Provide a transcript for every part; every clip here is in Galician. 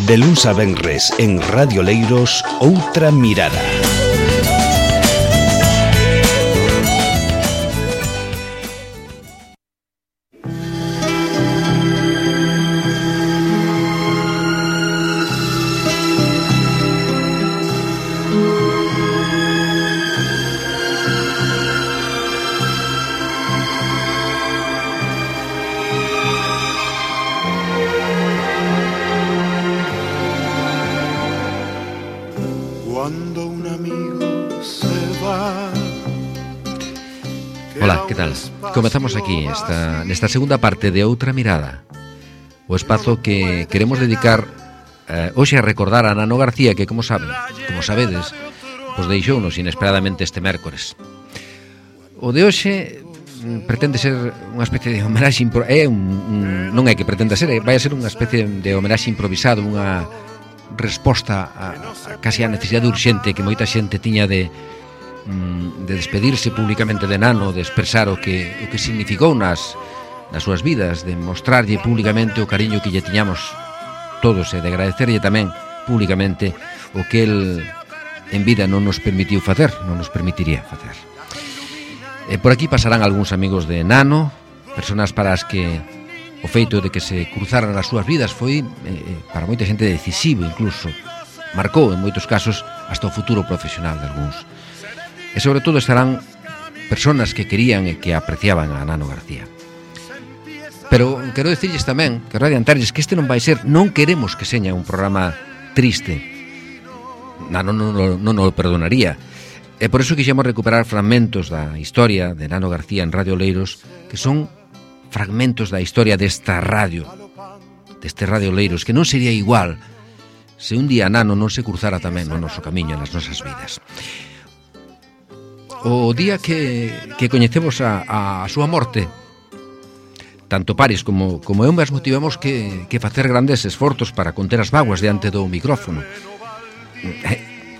De luns a venres en Radio Leiros, Outra Mirada. Ola, que tal? Comezamos aquí nesta segunda parte de Outra Mirada, o espazo que queremos dedicar hoxe a recordar a Nano García, que como sabedes, pois deixounos inesperadamente este mércores. O de hoxe pretende ser unha especie de homenaxe non é que pretenda ser, vai a ser unha especie de homenaxe improvisado, unha resposta casi a necesidade urxente que moita xente tiña de despedirse públicamente de Nano, de expresar o que significou nas súas vidas, de mostrarlle públicamente o cariño que lle tiñamos todos e de agradecerlle tamén públicamente o que el en vida non nos permitiu facer, non nos permitiría facer. Por aquí pasarán algúns amigos de Nano, personas para as que o feito de que se cruzaran as súas vidas foi para moita xente decisivo, incluso marcou en moitos casos hasta o futuro profesional de algúns. E sobre todo estarán personas que querían e que apreciaban a Nano García. Pero quero dicirles tamén, quero adiantarles que este non vai ser, non queremos que seña un programa triste. Nano non o perdonaría. E por iso quixemos recuperar fragmentos da historia de Nano García en Radio Leiros, que son fragmentos da historia deste Radio Leiros, que non sería igual se un día Nano non se cruzara tamén no noso camiño nas nosas vidas. O día que coñecemos a súa morte, tanto Paris como eu mesmo tivemos que facer grandes esforzos para conter as vaguas diante do micrófono.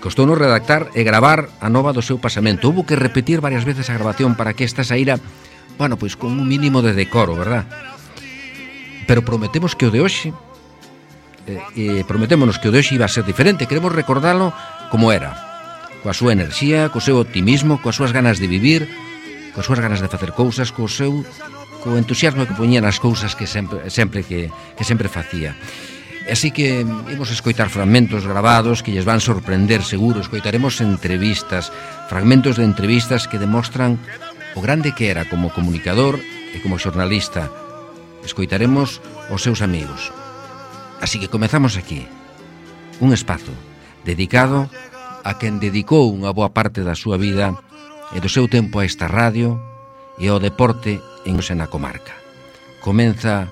Costounos redactar e gravar a nova do seu pasamento. Houbo que repetir varias veces a grabación para que esta saíra, bueno, pois con un mínimo de decoro, verdad? Pero prometemos que o de hoxe prometémonos que o de hoxe iba a ser diferente. Queremos recordalo como era, coa súa enerxía, co seu optimismo, coas súas ganas de vivir, coas súas ganas de facer cousas, co entusiasmo que poñía nas cousas que sempre facía. Así que imos escoitar fragmentos grabados que lles van sorprender seguro. Escoitaremos entrevistas, fragmentos de entrevistas que demostran o grande que era como comunicador e como xornalista. Escoitaremos os seus amigos. Así que comezamos aquí un espazo dedicado a quen dedicou unha boa parte da súa vida e do seu tempo a esta radio e ao deporte en na comarca. Comeza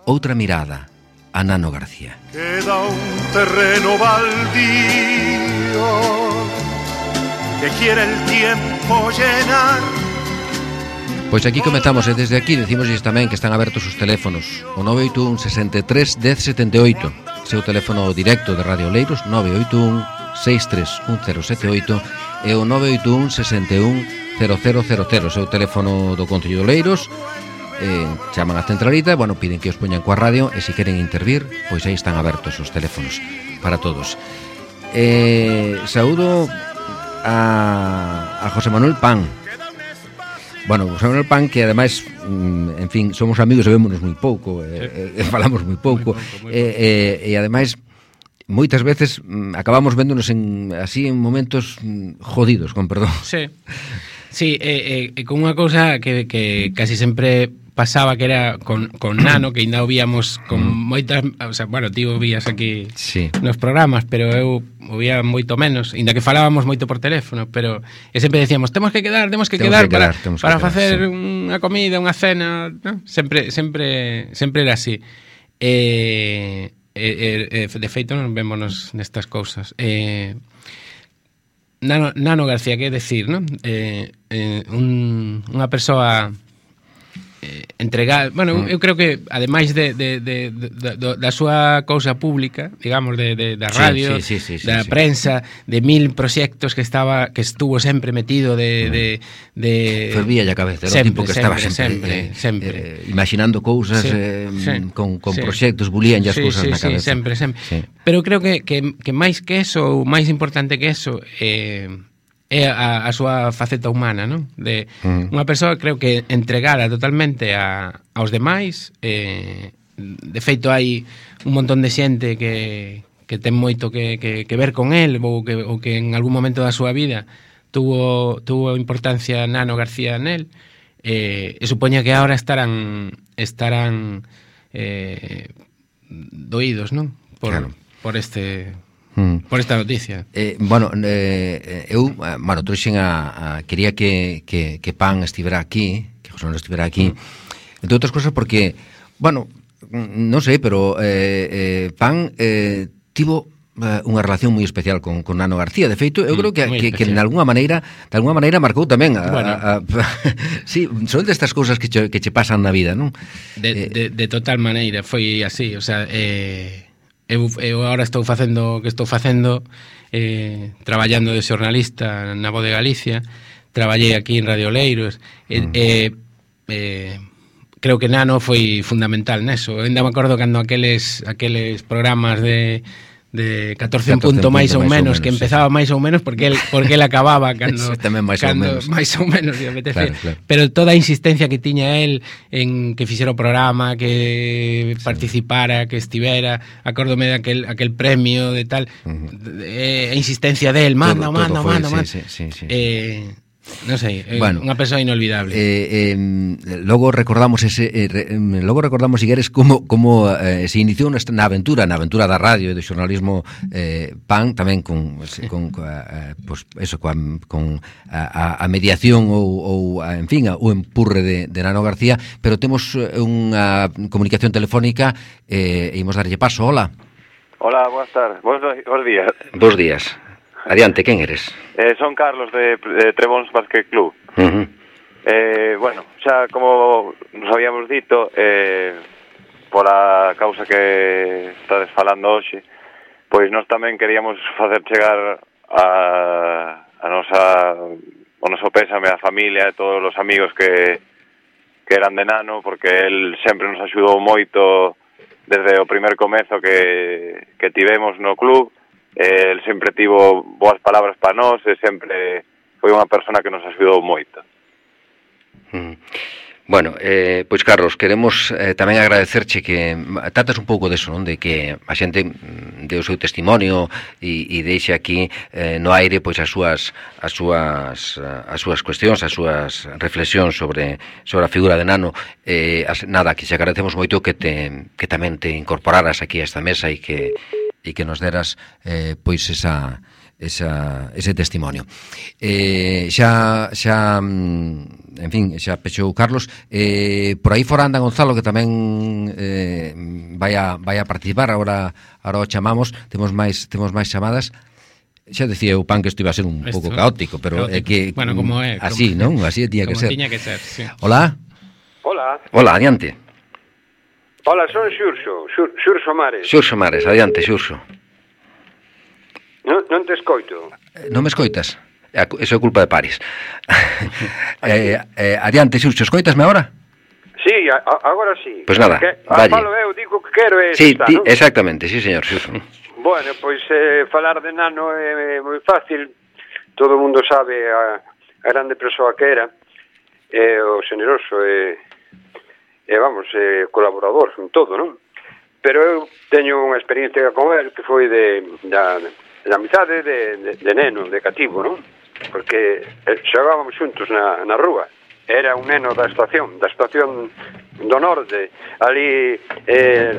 Outra Mirada a Nano García. Queda un terreno baldío que quiere el tiempo llenar. Pois aquí comezamos e desde aquí decimosles tamén que están abertos os teléfonos. O 981 63 10 78, seu teléfono directo de Radio Leiros, 981 631078 e o 981 61 0000, seu teléfono do Concello de Leiros. Chaman a centralita, bueno, piden que os poñan coa radio e se queren intervir, pois aí están abertos os teléfonos para todos. Saúdo a José Manuel Pan. Bueno, José Manuel Pan, que ademais, en fin, somos amigos e vémonos moi pouco, falamos moi pouco, e ademais moitas veces acabamos véndonos así en momentos jodidos, con perdón. Sí, con unha cousa que casi sempre pasaba, que era con Nano, que ainda o víamos con moitas, o sea, bueno, ti o vías aquí nos programas, pero eu o vía moito menos, ainda que falábamos moito por teléfono, pero sempre decíamos, temos que quedar para facer unha comida, unha cena, ¿no? Sempre era así. De feito non vémonos nestas cousas. Nano García, que decir, non? Unha persoa entregar, bueno, eu creo que ademais da súa cousa pública, digamos, da radio, da prensa, de 1000 proxectos que estuvo sempre metido fervía a cabeza, era o tipo que estaba sempre imaginando cousas con proxectos, bulían as cousas na cabeza. Sempre. Pero creo que máis que eso, ou máis importante que eso, é a súa faceta humana, non? De unha persoa, creo que entregada totalmente aos demais. De feito, hai un montón de xente que ten moito que ver con el, ou que en algún momento da súa vida tuvo importancia Nano García nel, e supoña que agora estarán doídos, non? Por esta noticia. Eu trouxen quería que Pan estivera aquí, que José Manuel estivera aquí, entre outras cosas porque, non sei, pero Pan tivo unha relación moi especial con Nano García. De feito, eu creo que de alguna maneira marcou tamén sí, son destas cousas que che pasan na vida, non? De total maneira, foi así, o sea, eu agora estou facendo traballando de xornalista na Voz de Galicia, traballei aquí en Radio Leiros, creo que Nano foi fundamental neso. Ainda me acordo cando aqueles programas de 14 punto máis ou menos, que empezaba máis ou menos porque el acababa cando máis ou menos claro. Pero toda a insistencia que tiña el en que fixera o programa, que participara, que estivera, acórdome de aquel premio de tal, a insistencia del manda. Non sei, unha persoa inolvidable. Logo recordamos Igueres como se iniciou na aventura da radio e do xornalismo Pan, tamén con a mediación ou en fin, o empurre de Nano García, pero temos unha comunicación telefónica e imos darlle paso. Hola, boas tardes, bons días. Bos días. Adiante, quen eres? Son Carlos de Trebóns Basket Club. Xa como nos habíamos dito, pola causa que estades falando hoxe, pois nós tamén queríamos facer chegar o noso pésame á familia e todos os amigos que eran de Nano, porque el sempre nos axudou moito desde o primer comezo que tivemos no club. El sempre tivo boas palabras para nós e sempre foi unha persona que nos axudou moito. Pois Carlos, queremos tamén agradecerche que tratas un pouco deso, non? De que a xente dé o seu testimonio e deixe aquí no aire pois as súas cuestións, as súas reflexións sobre a figura de Nano. Nada, que te agradecemos moito que tamén te incorporaras aquí a esta mesa e que nos deras pois ese testimonio. En fin, xa pechou Carlos. Por aí fora anda Gonzalo, que tamén vai a participar. Agora o chamamos. Temos máis chamadas. Xa decía o Pan que isto iba a ser un pouco caótico, pero é que como é, así, non? Así tiña que ser. Como tiña que ser, sí. Hola, adiante. Hola, son Xurxo Mares. Xurxo Mares, adiante, Xurxo. Non te escoito. Non me escoitas? Eso é culpa de Paris. Adiante, Xurxo, escoitasme agora? Sí, agora sí. Pois nada, valle. Falo eu, digo que quero sí, ¿no? Exactamente, sí, señor, Xurxo. Bueno, pois falar de Nano é moi fácil. Todo o mundo sabe a grande persoa que era, o xeneroso colaborador en todo, non? Pero eu teño unha experiencia con el que foi da amizade de neno, de cativo, non? Porque xogábamos xuntos na rúa. Era un neno da estación do norte, ali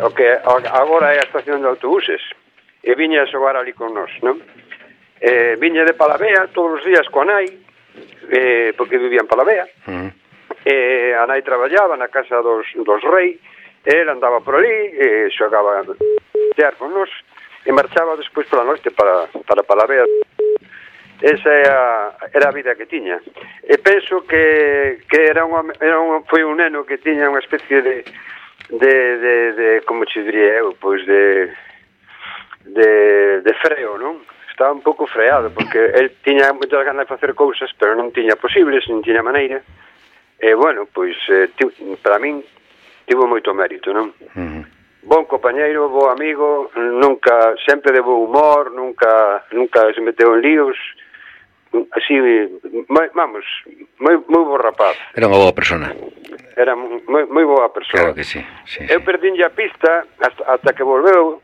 o que agora é a estación de autobuses, e viña a xogar ali con nós, non? Viña de Palavea todos os días coa nai, porque vivía en Palavea. A nai traballaba na casa dos rei, el andaba por ali, xogaba tear con nós, e marchaba despois pola noite para Palavea. esa era a vida que tiña. E penso que foi un neno que tiña unha especie de como che diría eu, pois de freo, non? Estaba un pouco freado, porque el tiña moitas ganas de facer cousas, pero non tiña posibles, non tiña maneira. E, bueno, pois, para min, tivo moito mérito, non? Bon compañeiro, bo amigo, sempre de bo humor, nunca se meteu en líos, así, vamos, moi bo rapaz. Era unha boa persona. Era moi boa persona. Claro que sí. Eu perdínlle a pista hasta que volveu,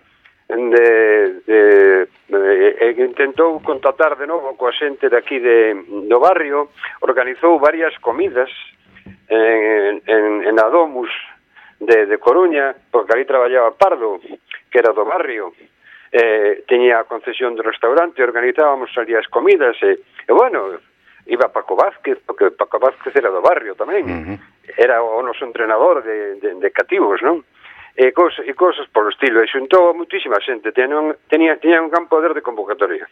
intentou contactar de novo coa xente de aquí do barrio, organizou varias comidas en Adomus de Coruña, porque ali traballaba Pardo, que era do barrio, teña a concesión do restaurante, organizábamos ali as comidas, e bueno, iba Paco Vázquez, porque Paco Vázquez era do barrio tamén, era o noso entrenador de cativos, non? E cousas polo estilo, e xuntou a moitísima xente, tiña un gran poder de convocatoria,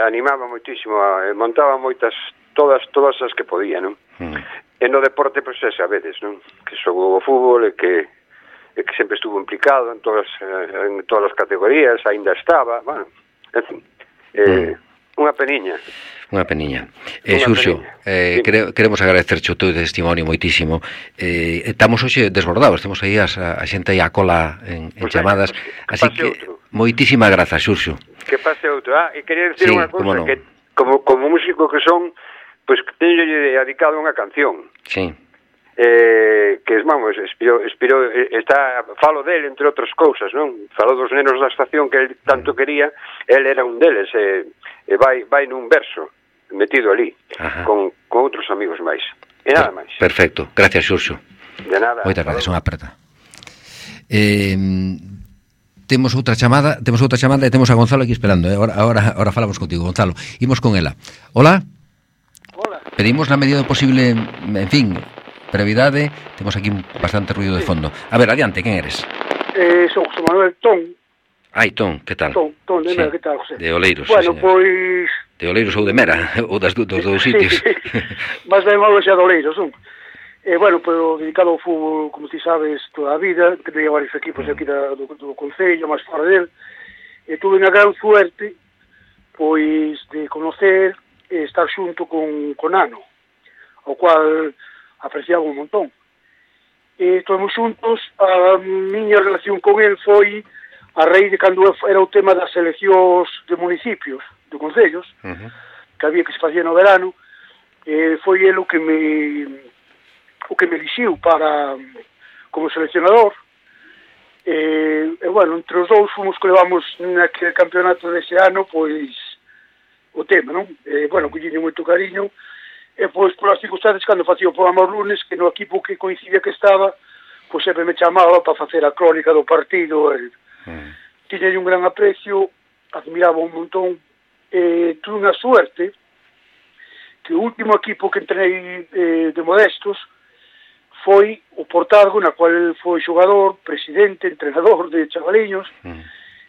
animaba moitísimo, montaba moitas, todas as que podía, non? E no deporte, pois, xa sabedes, non? Que xogou o fútbol e que sempre estuvo implicado en todas as categorías, aínda estaba, bueno, en fin, unha peniña. Unha peniña. Xurxo, queremos agradecerche o teu testimonio moitísimo. Estamos hoxe desbordados, temos aí a xente aí a cola en chamadas, así que moitísimas grazas, Xurxo. Que pase outro. E quería dicir unha cousa, que como músico que son, pois que teño dedicado unha canción. Sí. Que, vamos, falo del, entre outras cousas, non? Falo dos nenos da estación que el tanto quería, el era un deles, e vai nun verso metido ali, con outros amigos máis. E nada máis. Perfecto, gracias, Xurxo. De nada. Moitas gracias, unha aperta. Temos outra chamada e temos a Gonzalo aquí esperando. Ahora falamos contigo, Gonzalo. Imos con ela. Hola. Hola. Pedimos na medida do posible, en fin, brevidade, temos aquí bastante ruido de fondo. A ver, adiante, quen eres? Son José Manuel Ton. Ai, Ton, que tal? Ton de Mera, que tal, José? De Oleiros, bueno, sí, pois... De Oleiros ou de Mera, ou dos dous sitios. Mas ben malo xa de Oleiros, non? Bueno, pero dedicado ao fútbol, como ti sabes, toda a vida, teño varios equipos aquí do Concello, máis fora del, e tuve unha gran suerte, pois, de conocer e estar xunto con Nano, ao cual apreciaba un montón. E estamos xuntos, a miña relación con el foi a raíz de cando era o tema das eleccións de municipios, de concellos, que había que se facía no verano, foi el o que me elixiu como seleccionador, e bueno, entre os dous fomos que levamos naquele campeonato dese ano, pois, o tema, non? Bueno, collín moito cariño, e pois, polas circunstancias, cando facía o programa os lunes, que no equipo que coincidía que estaba, pois sempre me chamaba para facer a crónica do partido, tiña un gran aprecio, admiraba un montón, tuve unha suerte que o último equipo que entrei de Modestos foi o Portargo, na cual foi xogador, presidente, entrenador de chavaliños,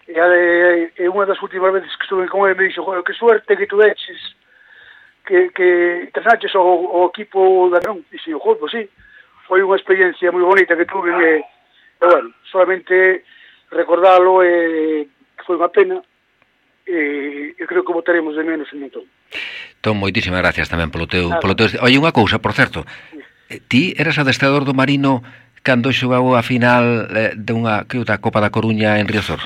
e unha das últimas veces que estuve con ele me dixo, joder, que suerte que tu eches, que entrenaches o equipo da non, e dixo, joder, pois sí, foi unha experiencia moi bonita que tuve, e bueno, solamente recordalo, que foi unha pena, e creo que votaremos de menos un montón. Ton, moitísimas gracias tamén polo teu... Oye, unha cousa, por certo, ti eras adestrador do Marino cando xogou a final dunha Copa da Coruña en Riazor?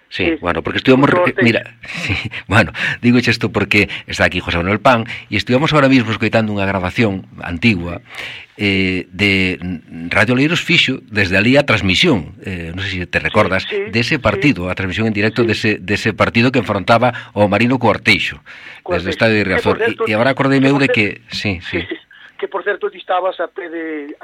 Sí, bueno, porque estuvamos... Mira, sí, bueno, digo isto porque está aquí José Manuel Pan e estuvamos ahora mismo escoitando unha grabación antigua de Radio Oleiros fixo desde ali a transmisión, non sei se te recordas, dese partido, a transmisión en directo dese partido que enfrontaba o Marino co Arteixo, desde o estadio de Riazor. E agora acordeime eu de que... Sí. Que, por certo, ti estabas a pé de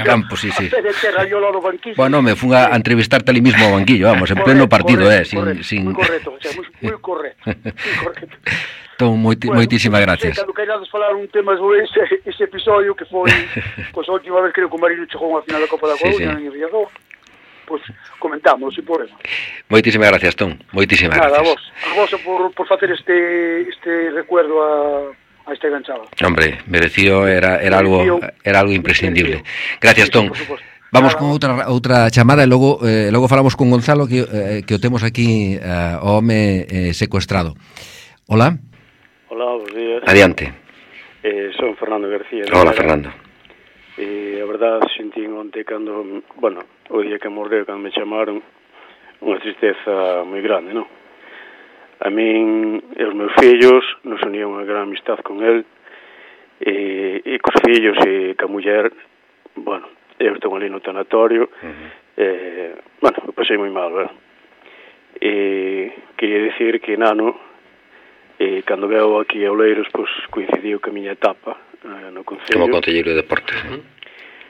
campo, sí. A pé de terra, yo ao banquillo. Bueno, me fun a entrevistarte ali mismo ao banquillo, vamos, en pleno partido, sin... Moi correcto, o sea, moi correcto. Entón, moitísimas gracias. Cando queirades falar un tema sobre ese episodio que foi, pois, a última vez creo que o Marino chegou a final da Copa da Coruña en Riazor. pois comentamos, sin problema. Moitísimas gracias, Tom. Moitísimas gracias. Nada, a vos por facer este recuerdo a esta enganchada. Hombre, merecido, era algo imprescindible. Gracias, Tom. Vamos con outra chamada e logo falamos con Gonzalo que o temos aquí o home secuestrado. Hola. Hola, bons días. Adiante. Son Fernando García. Hola, Fernando. A verdade, sentín onte cando, o día que morreu, cando me chamaron, unha tristeza moi grande, non? A min e os meus fillos nos unía unha gran amistad con el, e cos fillos e ca muller, eu estou ali no tanatorio, eu pasei moi mal, verdad? E quería dicir que Nano, cando veo aquí a Oleiros, pois coincidiu que a miña etapa no Concello. Como concelleiro de deportes.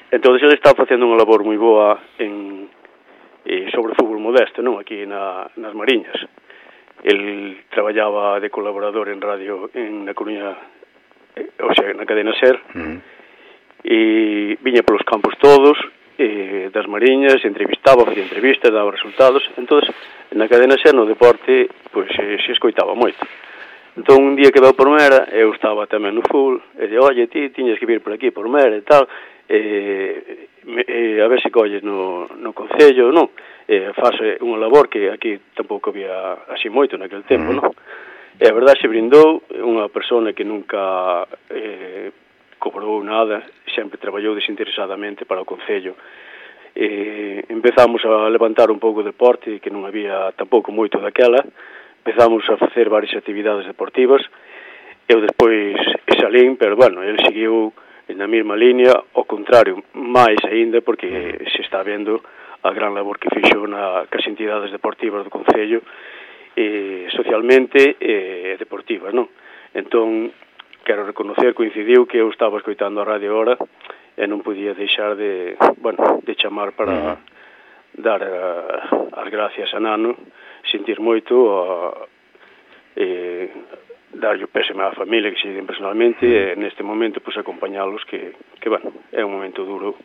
Entón, ele está facendo unha labor moi boa sobre o fútbol modesto, non? Aquí nas Mariñas. El traballaba de colaborador en radio na Coruña, ou sea, na cadena SER, e viña polos campos todos, das Mariñas, entrevistaba, facía entrevistas, daba resultados. Entón, na cadena SER, no deporte, pois se escoitaba moito. Entón, un día que veu por Mera, eu estaba tamén no fútbol, e dixo, oye, ti tiñas que vir por aquí, por Mera e tal, a ver se colles no Concello, non? Fase unha labor que aquí tampouco había así moito naquele tempo, non? E a verdade se brindou, unha persona que nunca cobrou nada, sempre traballou desinteresadamente para o Concello. Empezamos a levantar un pouco de deporte, que non había tampouco moito daquela. Empezamos a facer varias actividades deportivas. Eu despois salín, pero, ele seguiu na mesma línea, ao contrario, máis aínda, porque se está vendo a gran labor que fixo cas entidades deportivas do Concello, socialmente e deportivas, non? Entón, quero reconocer, coincidiu que eu estaba escoitando a radio ahora e non podía deixar de chamar para dar as gracias a Nano, sentir moito, darlle o pésame á familia que se den personalmente, e neste momento acompañalos que é un momento duro,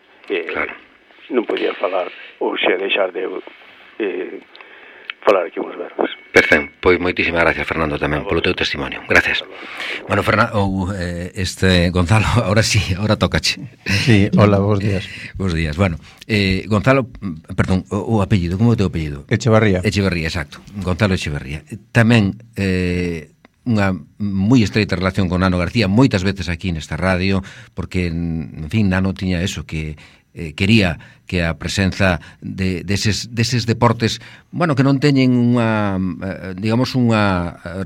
non podía falar ou xa deixar de falar aquí uns verbos. Perfecto, pois moitísimas gracias, Fernando, tamén polo teu testimonio. Gracias. Fernando, Gonzalo, ahora tócache. Sí, hola, bons días. Bons días. Gonzalo, perdón, o apellido, como é o teu apellido? Echevarría, exacto. Gonzalo Echevarría. Tamén unha moi estreita relación con Nano García, moitas veces aquí nesta radio, porque, en fin, Nano tiña eso, que quería que a presenza deses deportes, que non teñen unha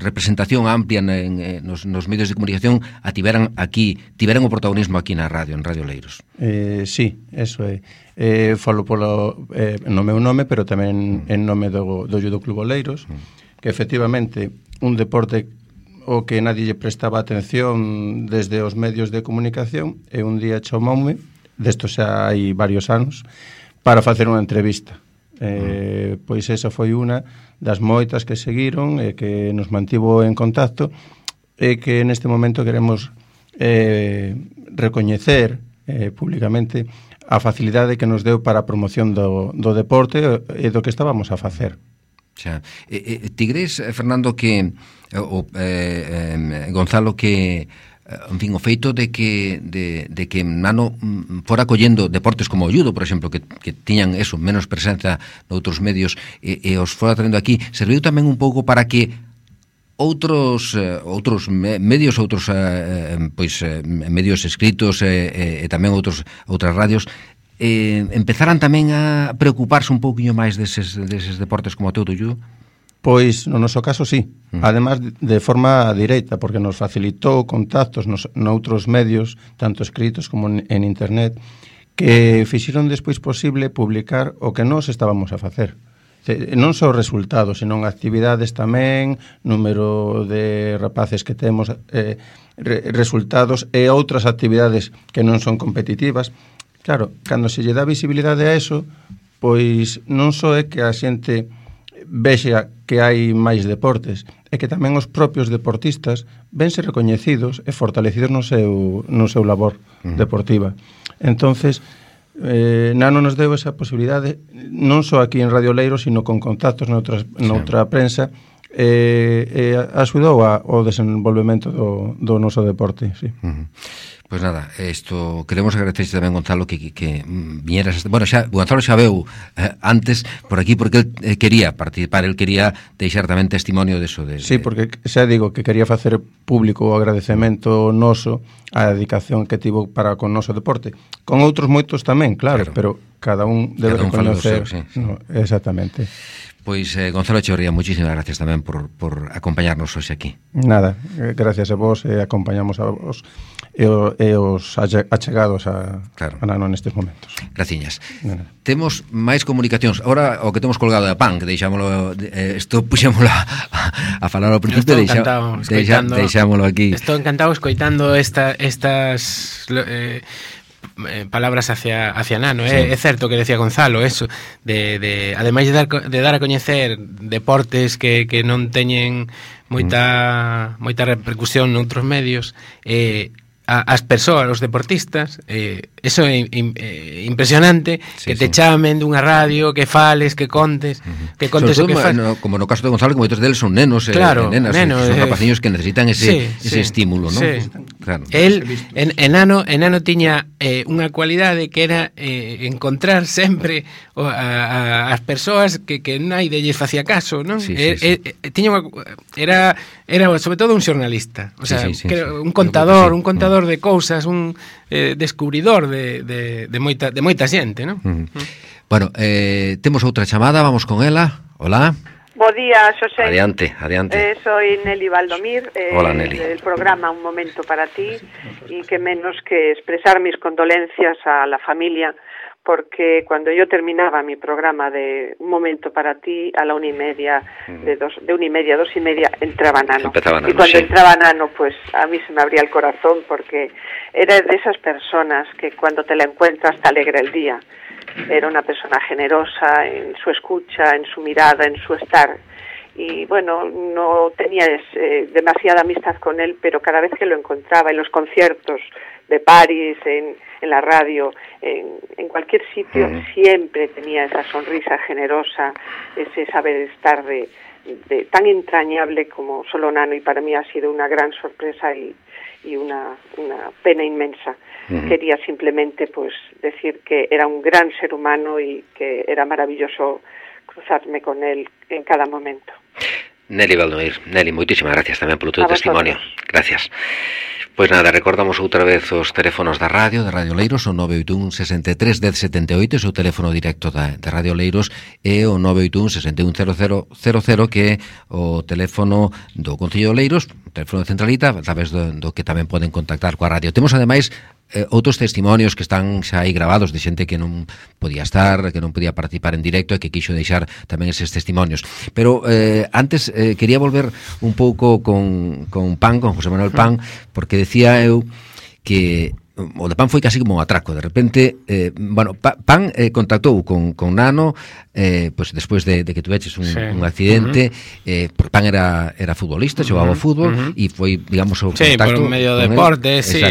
representación amplia nos medios de comunicación, tiveran o protagonismo aquí na radio, en Radio Oleiros. Sí, eso é. Falo no meu nome, pero tamén en nome do Judo Club Oleiros, que efectivamente un deporte o que nadie lle prestaba atención desde os medios de comunicación, e un día chamoume, desto xa hai varios anos, para facer unha entrevista. Pois esa foi unha das moitas que seguiron e que nos mantivo en contacto, e que neste momento queremos recoñecer públicamente a facilidade que nos deu para a promoción do deporte e do que estábamos a facer. Ti crees, Fernando, que Gonzalo, que en fin, o feito de que Nano fora collendo deportes como o judo, por exemplo, que tiñan eso, menos presenza noutros medios, e os fora traendo aquí, serviu tamén un pouco para que outros medios, medios escritos e tamén outras radios empezaran tamén a preocuparse un pouquiño máis deses deportes como o teu do judo? Pois, no noso caso, sí. Ademais, de forma directa, porque nos facilitou contactos noutros medios, tanto escritos como en internet, que fixeron despois posible publicar o que nós estábamos a facer. Non só resultados, senón actividades tamén, número de rapaces que temos, resultados e outras actividades que non son competitivas. Claro, cando se lle dá visibilidade a eso, pois non só é que a xente vexa que hai máis deportes, é que tamén os propios deportistas vense recoñecidos e fortalecidos no seu labor deportiva. Entonces, Nano nos deu esa posibilidade non só aquí en Radio Leiro, sino con contactos noutra prensa, axudou ao desenvolvemento do noso deporte, sí. Pois nada, isto queremos agradecerse tamén, Gonzalo, que viñeras. Bueno, Gonzalo xa veu antes por aquí porque el quería participar, el quería deixar tamén testimonio deso. Sí, porque xa digo que quería facer público o agradecemento noso a dedicación que tivo para con noso deporte. Con outros moitos tamén, claro. Pero cada un debe reconocer. Sí. No, exactamente. Pois, Gonzalo Echeverría, moitísimas gracias tamén por acompañarnos hoxe aquí. Nada, gracias a vos, acompañamos a vos e os achegados a Nano nestes momentos. Graciñas. Temos máis comunicacións. Ahora o que temos colgado da PAN, que deixámoslo, isto puxémoslo a falar ao principio, deixámoslo aquí. Estou encantado escoitando estas palabras hacia Nano, sí. É certo que decía Gonzalo eso ademais de dar a coñecer deportes que non teñen moita repercusión noutros medios, as persoas, os deportistas, eso é impresionante, sí, que te chamen dunha radio, que fales, que contes o que faz. Como no caso de Gonzalo, que moitos deles son nenos, nenas, son rapaciños que necesitan ese estímulo, ¿no? Sí. Claro. Enano tiña unha cualidade que era encontrar sempre as persoas que naide lles facía caso, non? Era sobre todo un xornalista, o sea, un contador de cousas, un descubridor de moita xente, non? Bueno, temos outra chamada, vamos con ela. Hola. Bo día, Xosé. Adiante. Soy Nelly Valdomir. Hola, Nelly. El programa Un Momento para Ti, y que menos que expresar mis condolencias a la familia, porque cuando yo terminaba mi programa de Un Momento para Ti, a la 1:30, de 1:30 a 2:30, entraba Nano. Y cuando entraba Nano, pues a mí se me abría el corazón, porque era de esas personas que cuando te la encuentras te alegra el día. Era una persona generosa en su escucha, en su mirada, en su estar. Y bueno, no tenía demasiada amistad con él, pero cada vez que lo encontraba en los conciertos de París, en la radio, en cualquier sitio, siempre tenía esa sonrisa generosa, ese saber estar de tan entrañable como solo Nano, y para mí ha sido una gran sorpresa y una pena inmensa. Quería simplemente pues decir que era un gran ser humano y que era maravilloso cruzarme con él en cada momento. Nelly Valdomir, Nelly, moitísimas gracias tamén polo teu testimonio. Gracias. Pois nada, recordamos outra vez os teléfonos da Radio Leiros, o 981 63 10 78, o teléfono directo de Radio Leiros, e o 981 61 0000, que é o teléfono do Concello de Leiros, o teléfono de centralita, a través do que tamén poden contactar coa radio. Temos ademais outros testimonios que están xa aí grabados de xente que non podía estar, que non podía participar en directo e que quixo deixar tamén eses testimonios. Pero antes quería volver un pouco con Pan, con José Manuel Pan, porque decía eu que o de Pan foi casi como un atraco. De repente, Pan contactou con Nano, pues despois de que tuveches un accidente, porque Pan era futbolista, xogaba ao fútbol, e foi, digamos, o contacto por medio de deporte, sí.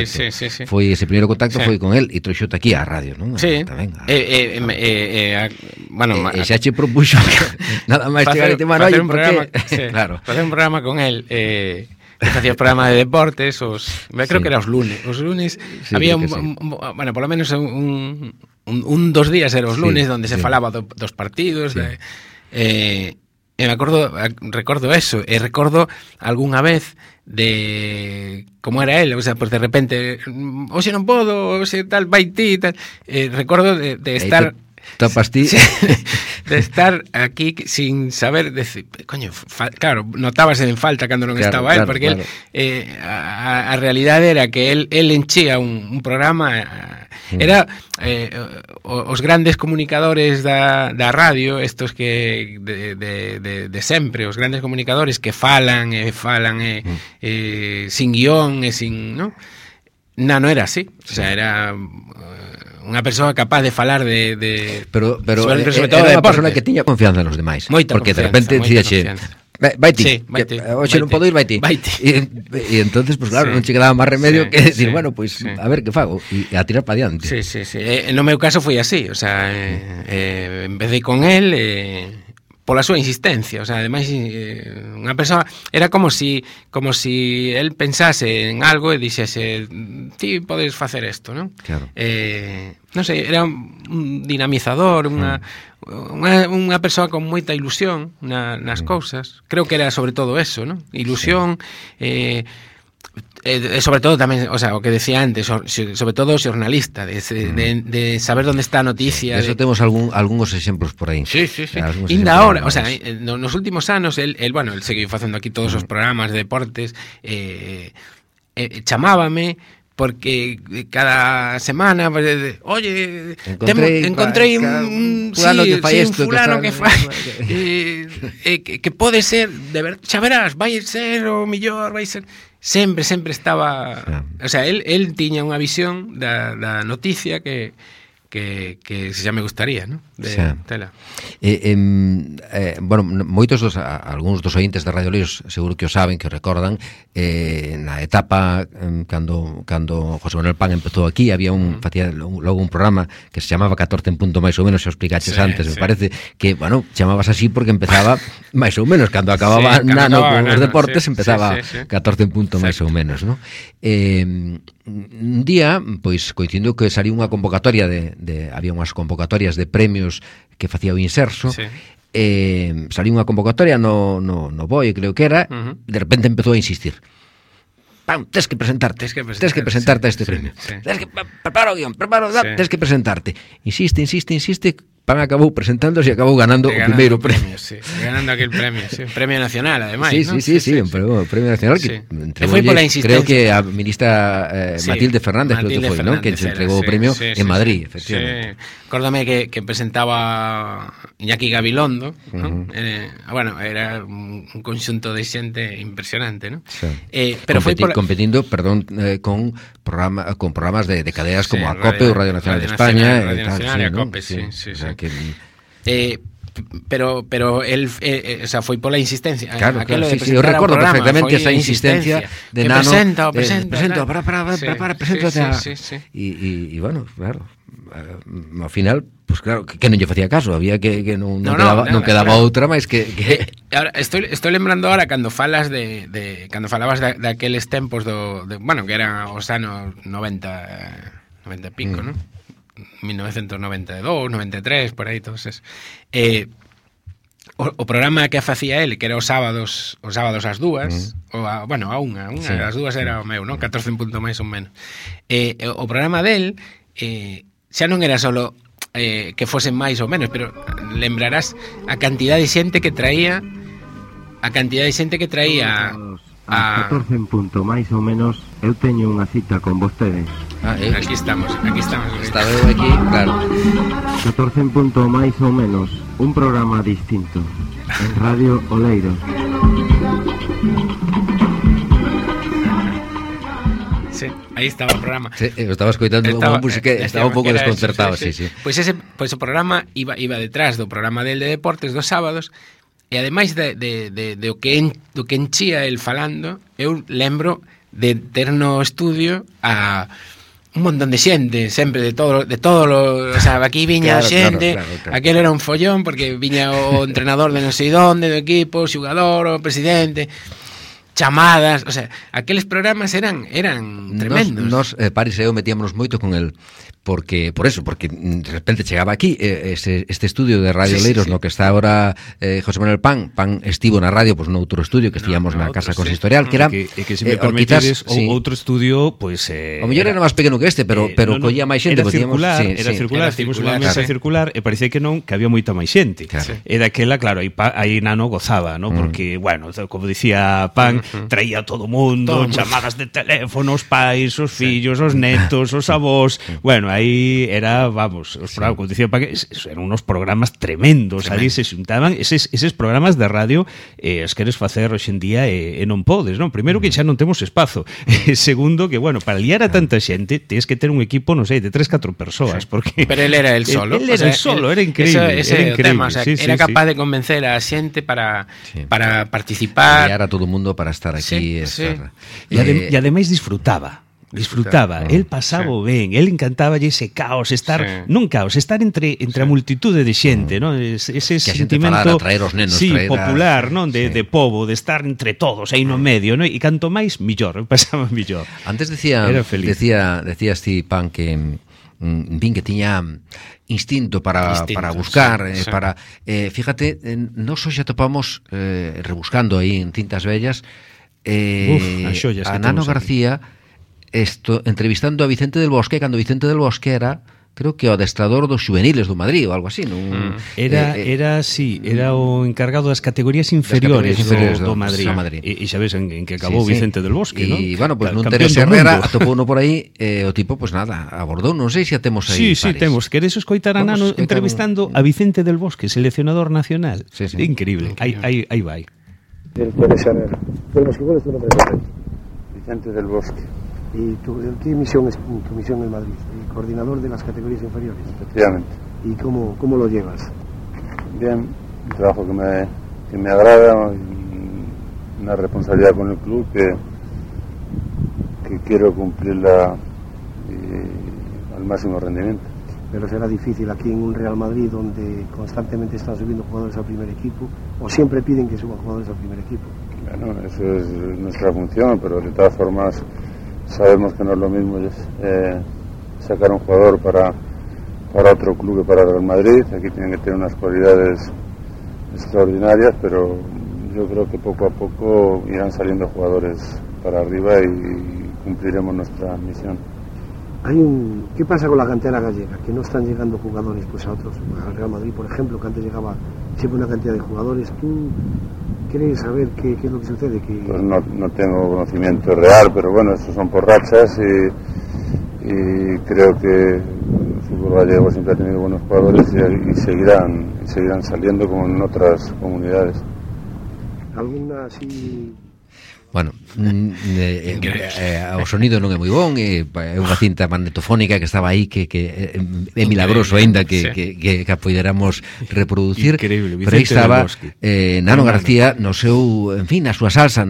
Foi ese primeiro contacto, foi con el, e trouxote aquí á radio, non? Sí. Xa che propuxo nada máis chegar e te facer un programa, facer un programa con el, que facía o programa de deportes, creo que era os lunes. Os lunes había bueno, por lo menos dos días eran os lunes donde se falaba dos partidos, e me recordo eso, e recordo algunha vez de como era él, o sea, pues de repente hoxe non podo, hoxe tal, vai ti, tal. Recordo de estar tapas ti de estar aquí sin saber decir, coño, claro, notabas en falta cando non estaba él, porque a realidade era que él enchía un programa, era os grandes comunicadores da radio, estos que de sempre, os grandes comunicadores que falan sin guión e sin, ¿no? Nano era así, o sea, era unha persoa capaz de falar pero sobre todo era unha persona que tiña confianza nos demais, porque de repente dicíache, Vaiti, hoxe non podo ir, vaiti. E entonces, pues claro, non che quedaba máis remedio que decir, bueno, pues a ver que fago e a tirar para diante. Sí. No meu caso foi así, o sea, empecé con él pola súa insistencia, o sea, ademais unha persoa era como si él pensase en algo e dixese, ti podes facer isto, non? Claro. Non sei, era un dinamizador, unha persoa con moita ilusión nas cousas. Creo que era sobre todo eso, non? Ilusión, sobre todo tamén, o sea, o que decía antes, sobre todo o xornalista, de saber onde está a noticia. Eso temos algúns exemplos por aí. Sí. Ainda ahora, o sea, nos últimos anos, el seguiu facendo aquí todos os programas de deportes, chamábame, porque cada semana, oye, encontrei un fulano que fai que pode ser, xa verás, vai ser o mellor, vai ser... Sempre estaba... O sea, él tiña unha visión da noticia que xa me gustaría, ¿no? Tela. Bueno, algúns dos ointes de Radio Leiros seguro que o saben, que o recordan, na etapa cando José Manuel Pan empezou aquí, había facía logo un programa que se chamaba 14 en punto máis ou menos, se os explicaches antes, me parece que, bueno, chamabas así porque empezaba máis ou menos, cando acababa Nano con os deportes, empezaba 14 en punto máis ou menos, ¿no? Un día, pois, coincidindo que saliu unha convocatoria había unhas convocatorias de premios que facía o Inserso, saliu unha convocatoria no BOE, creo que era, de repente empezou a insistir. Pam, tes que presentarte a este premio. Prepara o guión, tes que presentarte. Insiste, Pan acabou presentándose e acabou ganando o primeiro premio. Ganando aquel premio, premio nacional, ademais. Sí, un premio nacional que entregou, creo que a ministra Matilde Fernández, creo que foi, non? Que se entregou o premio en Madrid, efectivamente. Acórdame que presentaba Iñaki Gabilondo, bueno, era un conxunto de xente impresionante, non? Pero competindo, con programas de cadeas como a COPE ou Radio Nacional de España, Radio Nacional e a COPE, sí. Pero él, o sea, foi pola insistencia. Claro, eu recordo perfectamente esa insistencia de Nano. Presento, e bueno, claro, ao final, pues claro, que non lle facía caso, había que non quedaba outra máis que... Ahora, estoy lembrando ahora cando falas cando falabas daqueles tempos bueno, que eran os anos 90 e pico, non? 1992, 93, por aí todos esos. O programa que facía él, que era os sábados ás dúas, a unha das dúas era o meu, non? 14 en punto máis ou menos. O programa del xa non era solo que fosen máis ou menos, pero lembrarás a cantidad de xente que traía a 14 en punto máis ou menos, eu teño unha cita con vostedes. Aquí estamos. Está eu aquí, claro. 14 en punto máis ou menos, un programa distinto en Radio Oleiros. Sí, aí estaba o programa. Sí, estaba escoitando unha música, estaba un pouco desconcertado, sí. Pois o programa iba detrás do programa del de deportes dos sábados. E ademais do que enchía el falando, eu lembro de ter no estudio a un montón de xente, sempre de todo o sea, aquí viña xente, claro. Aquel era un follón porque viña o entrenador de non sei donde do equipo, o xugador, o presidente, chamadas, o sea, aqueles programas eran tremendos. Nos Paris e eu metíamos moito con el porque de repente chegaba aquí este estudio de Radio Leiros, no que está agora José Manuel Pan estivo na radio, pois no outro estudio que estíamos na Casa Consistorial, que era que se me permitedes outro estudio, pois o mellor era máis pequeno que este, pero collía máis xente, era circular, tivemos unha mesa circular e parecía que había moita máis xente. E daquela, claro, aí Nano gozaba, ¿no? Porque, bueno, como dicía Pan, traía todo o mundo, chamadas de teléfono, os pais, os fillos, os netos, os avós, bueno, aí era, vamos, os programas, como dicía Paco, eran unos programas tremendos, ali se xuntaban eses programas de radio, os queres facer hoxe en día e non podes, non? Primeiro que xa non temos espazo, segundo que, bueno, para liar a tanta xente tens que ter un equipo, non sei, de 3-4 persoas, porque... Pero él era el solo. Él era el solo, era increíble. Ese tema, o sea, era capaz de convencer a xente para participar. Liar a todo o mundo para estar aquí. E ademais disfrutaba, el pasaba ben, el encantaba ese caos, estar non caos, estar entre a multitude de xente, non? Ese sentimento traer os nenos, popular, non? De pobo, de estar entre todos aí no medio, non? E canto máis millor, pasaba millor. Antes decía Pan que que tiña instinto para buscar, para fíjate, nós hoxe atopamos rebuscando aí en cintas vellas a Nano García entrevistando a Vicente del Bosque, cando Vicente del Bosque era, creo que o adestrador dos juveniles do Madrid ou algo así, non? Era o encargado das categorías inferiores do Madrid. E xa ves en que acabou Vicente del Bosque, non? E, bueno, pues non Teresa Herrera atopouno por aí, o tipo, pues nada, abordou, non sei se a temos aí. Sí, temos. Queres escoitar a Nano entrevistando a Vicente del Bosque, seleccionador nacional? Increíble, aí vai. Del Teresa Herrera. ¿Cuál es tu nombre? Vicente del Bosque. ¿Y qué misión es tu misión en Madrid? Coordinador de las categorías inferiores. Efectivamente. ¿Y cómo lo llevas? Bien, un trabajo que me agrada, una responsabilidad con el club que quiero cumplirla al máximo rendimiento. Pero será difícil aquí en un Real Madrid donde constantemente están subiendo jugadores al primer equipo, o siempre piden que suban jugadores al primer equipo. Bueno, eso es nuestra función, pero de todas formas sabemos que no es lo mismo sacar un jugador para otro club que para Real Madrid. Aquí tienen que tener unas cualidades extraordinarias, pero yo creo que poco a poco irán saliendo jugadores para arriba y cumpliremos nuestra misión. ¿Qué pasa con la cantera gallega? Que no están llegando jugadores pues a otros, al Real Madrid, por ejemplo, que antes llegaba siempre una cantidad de jugadores. ¿Tú quieres saber qué es lo que sucede? Pues no tengo conocimiento real, pero bueno, estos son por rachas y creo que el fútbol gallego siempre ha tenido buenos jugadores y seguirán saliendo como en otras comunidades. ¿Alguna así...? Bueno, o sonido non é moi bon, é unha cinta magnetofónica que estaba aí que é milagroso aínda que poderamos reproducir. Increíble, pero aí estaba Nano García no seu, en fin, na súa salsa,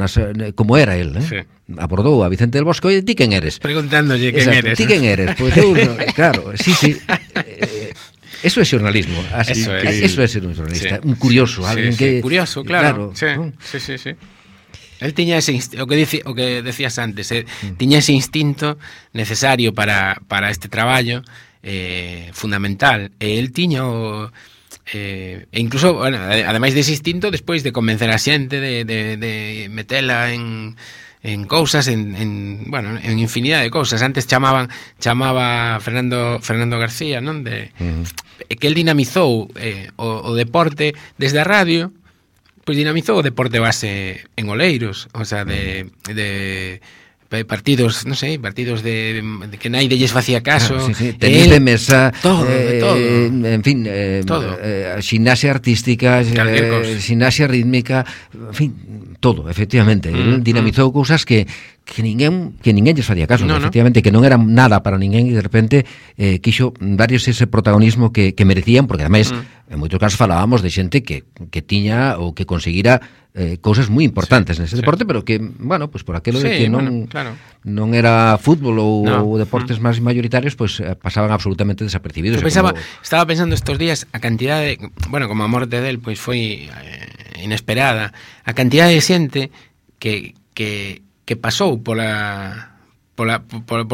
como era el, sí. Abordou a Vicente del Bosque, oye, ti quen eres? Preguntándolle quen eres. Ti quen eres? Pues eu, claro, sí. Eso é xornalismo, eso é ser un xornalista, un curioso, alguén que... Curioso, claro. Sí. El tiña ese o que decías antes, tiña ese instinto necesario para este traballo fundamental. El tiña e incluso, bueno, ademais dese instinto, despois de convencer a xente de metela en cousas, en infinidad de cousas. Antes chamaba Fernando García, non? Que el dinamizou o deporte desde a radio. Pois dinamizou o deporte base en Oleiros, o sea, de partidos, non sei, partidos de que naide lles facía caso, tenis de mesa, todo, en fin, ximnasia artística, ximnasia rítmica, en fin, todo, efectivamente. El dinamizou cousas que ninguén lles facía caso, efectivamente, que non era nada para ninguén e de repente quixo darles ese protagonismo que merecían, porque ademais en moitos casos falábamos de xente que tiña ou que conseguira cousas moi importantes nese deporte, pero que, bueno, pues por aquilo de que non era fútbol ou deportes máis mayoritarios, pues pasaban absolutamente desapercibidos. Estaba pensando estos días a cantidad de, bueno, como a morte del, pois foi inesperada, a cantidad de xente que pasou polo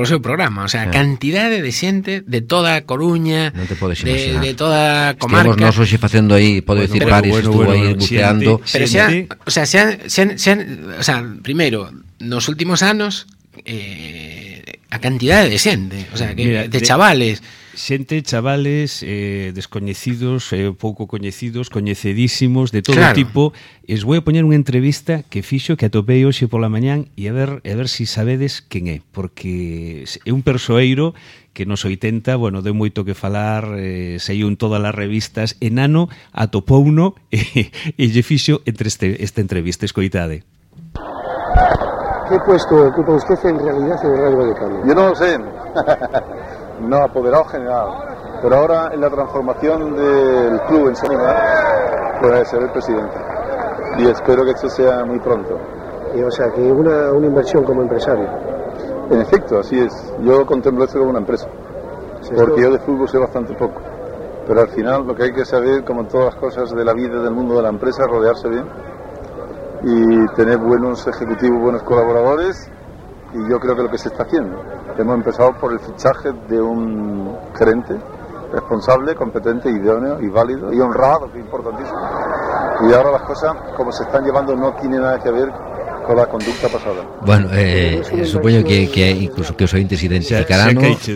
seu programa, o sea, a cantidade de xente de toda a Coruña, de toda a comarca. Estivemos nós hoxe facendo aí, podo dicir, Paris, estuvo aí buceando. Pero xa, primeiro, nos últimos anos a cantidade de xente, o sea, que Mira, de chavales, chavales descoñecidos, pouco coñecidos, coñecedísimos, de todo Claro. tipo. Es vou a poñer unha entrevista que fixo, que atopei hoxe pola mañán, e a ver si sabedes quen é, porque é un persoeiro que nos 80, bueno, deu moito que falar, saiu en todas as revistas, e Nano atopouno e lle fixo entre esta entrevista, escoitade. ¿Qué puesto ocupa usted en realidad en el Rayo Vallecano? Yo no lo sé, no, apoderado general, pero ahora en la transformación del club en Sanidad, pues ser el presidente. Y espero que esto sea muy pronto. O sea, que una inversión como empresario. En efecto, así es. Yo contemplo esto como una empresa, porque yo de fútbol sé bastante poco. Pero al final lo que hay que saber, como en todas las cosas de la vida, del mundo de la empresa, es rodearse bien y tener buenos ejecutivos, buenos colaboradores, y yo creo que lo que se está haciendo. Hemos empezado por el fichaje de un gerente responsable, competente, idóneo y válido y honrado, que es importantísimo. Y ahora las cosas, como se están llevando, no tienen nada que ver con la conducta pasada. Bueno, supoño que incluso que os ointes identificarán, ¿no? Sí,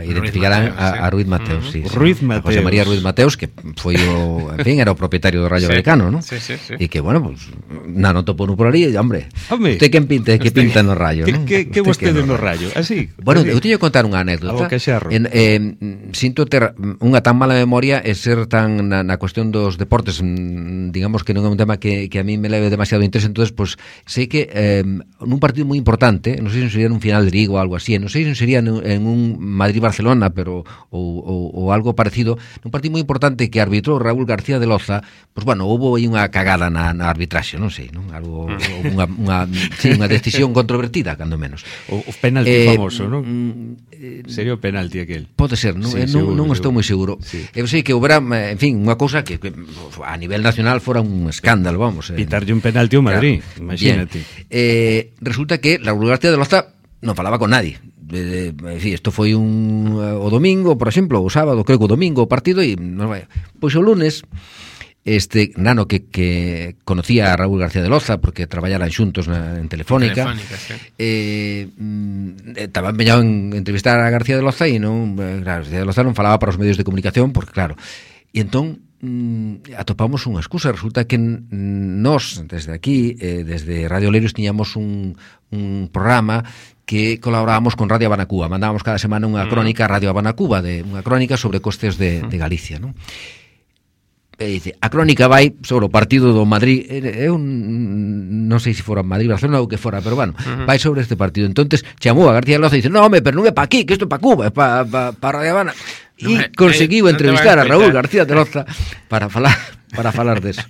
identificarán a Ruiz Mateos, sí. Ruiz Mateos. José María Ruiz Mateos, que foi o, en fin, era o propietario do Rayo Vallecano, ¿no? Sí. E que, bueno, pues, Nano topou por ali, e, hombre, usted que pinta no Rayo, ¿no? Que vostede no Rayo, así. Bueno, eu teño que contar unha anécdota. Sinto ter unha tan mala memoria e ser tan na cuestión dos deportes, digamos que non é un tema que a mí me leve demasiado interés. Entonces, pues sei que nun partido moi importante, non sei se sería nun final de Liga ou algo así, non sei se sería en un Madrid-Barcelona, pero ou algo parecido, nun partido moi importante que arbitrou Raúl García de Loza, pues bueno, houve aí unha cagada na arbitraxe, non sei, non? Algo unha decisión controvertida, cando menos. O penalti famoso, non? Sería o penalti aquel. Pode ser, non? Non estou moi seguro. Eu sei que houbera, en fin, unha cousa que a nivel nacional fora un escándalo, vamos. Pitarlle un penalti ao Madrid. Imagínate. Resulta que Raúl García de Loza non falaba con nadie. Isto foi o domingo, por exemplo, o sábado, creo que o domingo o partido, e pois o lunes Nano que conocía a Raúl García de Loza porque traballaran xuntos en Telefónica, estaba empeñado en entrevistar a García de Loza, e non, claro, García de Loza non falaba para os medios de comunicación porque, claro, e entón atopamos unha excusa. Resulta que nós, desde aquí, desde Radio Leiros, tiñamos un programa que colaborábamos con Radio Habana Cuba. Mandábamos cada semana unha crónica a Radio Habana Cuba, unha crónica sobre costes de Galicia, non? Dice, a crónica vai sobre o partido do Madrid, eu non sei se fora Madrid-Barcelona ou que fora, pero bueno, vai sobre este partido. Entonces chamou a García Loza e dice, no, home, pero non é pa aquí, que isto é pa Cuba, é pa Radio Habana. E conseguiu entrevistar a Raúl García de Loza para falar deso.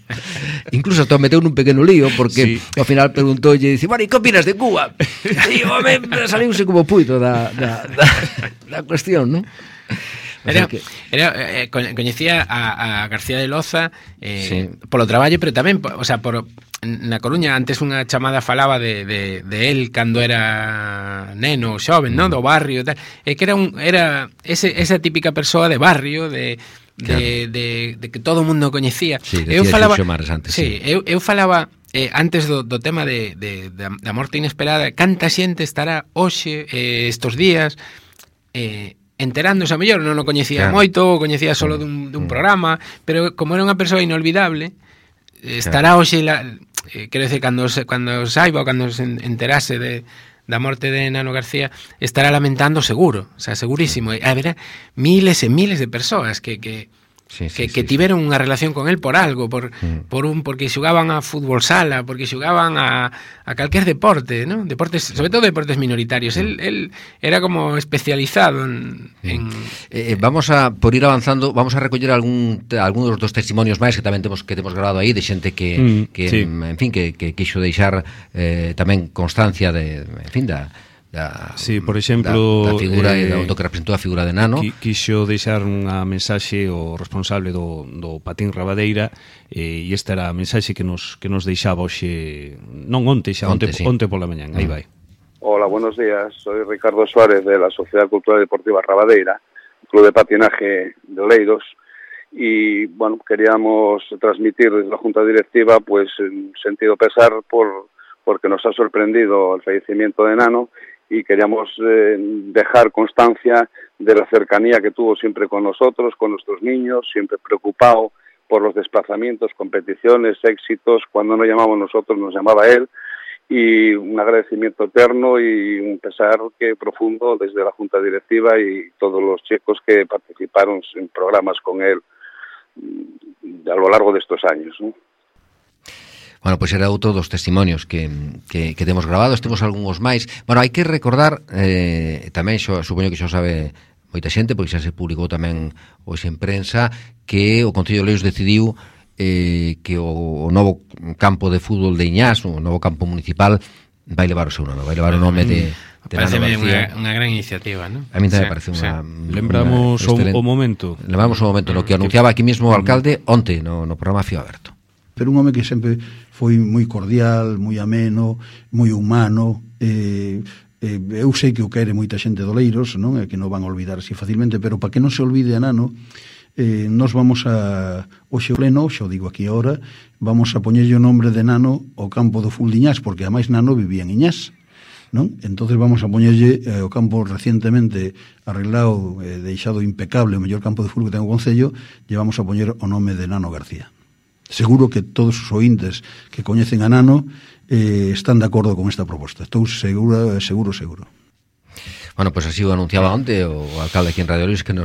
Incluso hasta meteu nun pequeno lío, porque ao final preguntoulle, dice, bueno, e que opinas de Cuba? E o home saliuse como puito da cuestión, non? Coñecía a García de Loza polo traballo, pero tamén, o sea, na Coruña antes unha chamada falaba de él cando era neno, xoven, ¿no? Do barrio e tal, e que era esa típica persoa de barrio, de que todo o mundo coñecía. Eu falaba antes do tema da morte inesperada, canta xente estará hoxe estos días enterándose, a mellor non o coñecía moito, o coñecía solo dun programa, pero como era unha persoa inolvidable, estará hoxe, quero decir, cando saiba ou cando se enterase da morte de Nano García, estará lamentando seguro, o sea, segurísimo. Haberá miles e miles de persoas que tiveron unha relación con él por algo, porque xogaban a fútbol sala, porque xogaban a calquer deporte, ¿no? Deportes, sobre todo deportes minoritarios. Él era como especializado en... Vamos a, por ir avanzando, vamos a recoller algúns dos testimonios máis que tamén temos grabado aí, de xente que en fin, que quixo deixar tamén constancia de, en fin, por exemplo, da figura do que representou a figura de Nano. Quixo deixar unha mensaxe o responsable do Patín Rabadeira, e esta era a mensaxe que nos deixaba hoxe, non onte pola mañán. Aí vai. Hola, buenos días. Soy Ricardo Suárez de la Sociedad Cultural Deportiva Rabadeira, Club de Patinaje de Oleiros, y bueno, queríamos transmitir desde la Junta Directiva pues un sentido pesar porque nos ha sorprendido el fallecimiento de Nano. y queríamos dejar constancia de la cercanía que tuvo siempre con nosotros, con nuestros niños, siempre preocupado por los desplazamientos, competiciones, éxitos. Cuando no llamamos nosotros, nos llamaba él, y un agradecimiento eterno y un pesar profundo desde la Junta Directiva y todos los chicos que participaron en programas con él a lo largo de estos años, ¿no? Bueno, pois era outro dos testimonios que temos grabados, temos algúns máis. Bueno, hai que recordar, tamén, supoño que xa sabe moita xente, porque xa se publicou tamén hoxe en prensa, que o Concello de Oleiros decidiu que o novo campo de fútbol de Iñás, o novo campo municipal, vai levar o seu nome, vai levar o nome de Parece unha gran iniciativa, ¿no? A mí tamén parece unha... Lembramos o momento. Lembramos o momento no que anunciaba aquí mesmo o alcalde onte no programa Fío Aberto. Pero un home que sempre foi moi cordial, moi ameno, moi humano, eu sei que o quere moita xente de Oleiros, non? É que non van a olvidar así facilmente, pero para que non se olvide a Nano, nos vamos a hoxe pleno, xa o digo aquí ahora, vamos a poñerlle o nombre de Nano ao campo do fútbol de Iñás, porque ademais Nano vivía en Iñás, non? Entonces vamos a poñerlle o campo recientemente arreglado, deixado impecable, o mellor campo de fútbol que ten o Concello, lle vamos a poñer o nome de Nano García. Seguro que todos os ointes que coñecen a Nano están de acordo con esta proposta. Estou seguro. Bueno, pois así o anunciaba onte o alcalde aquí en Radio Luis, que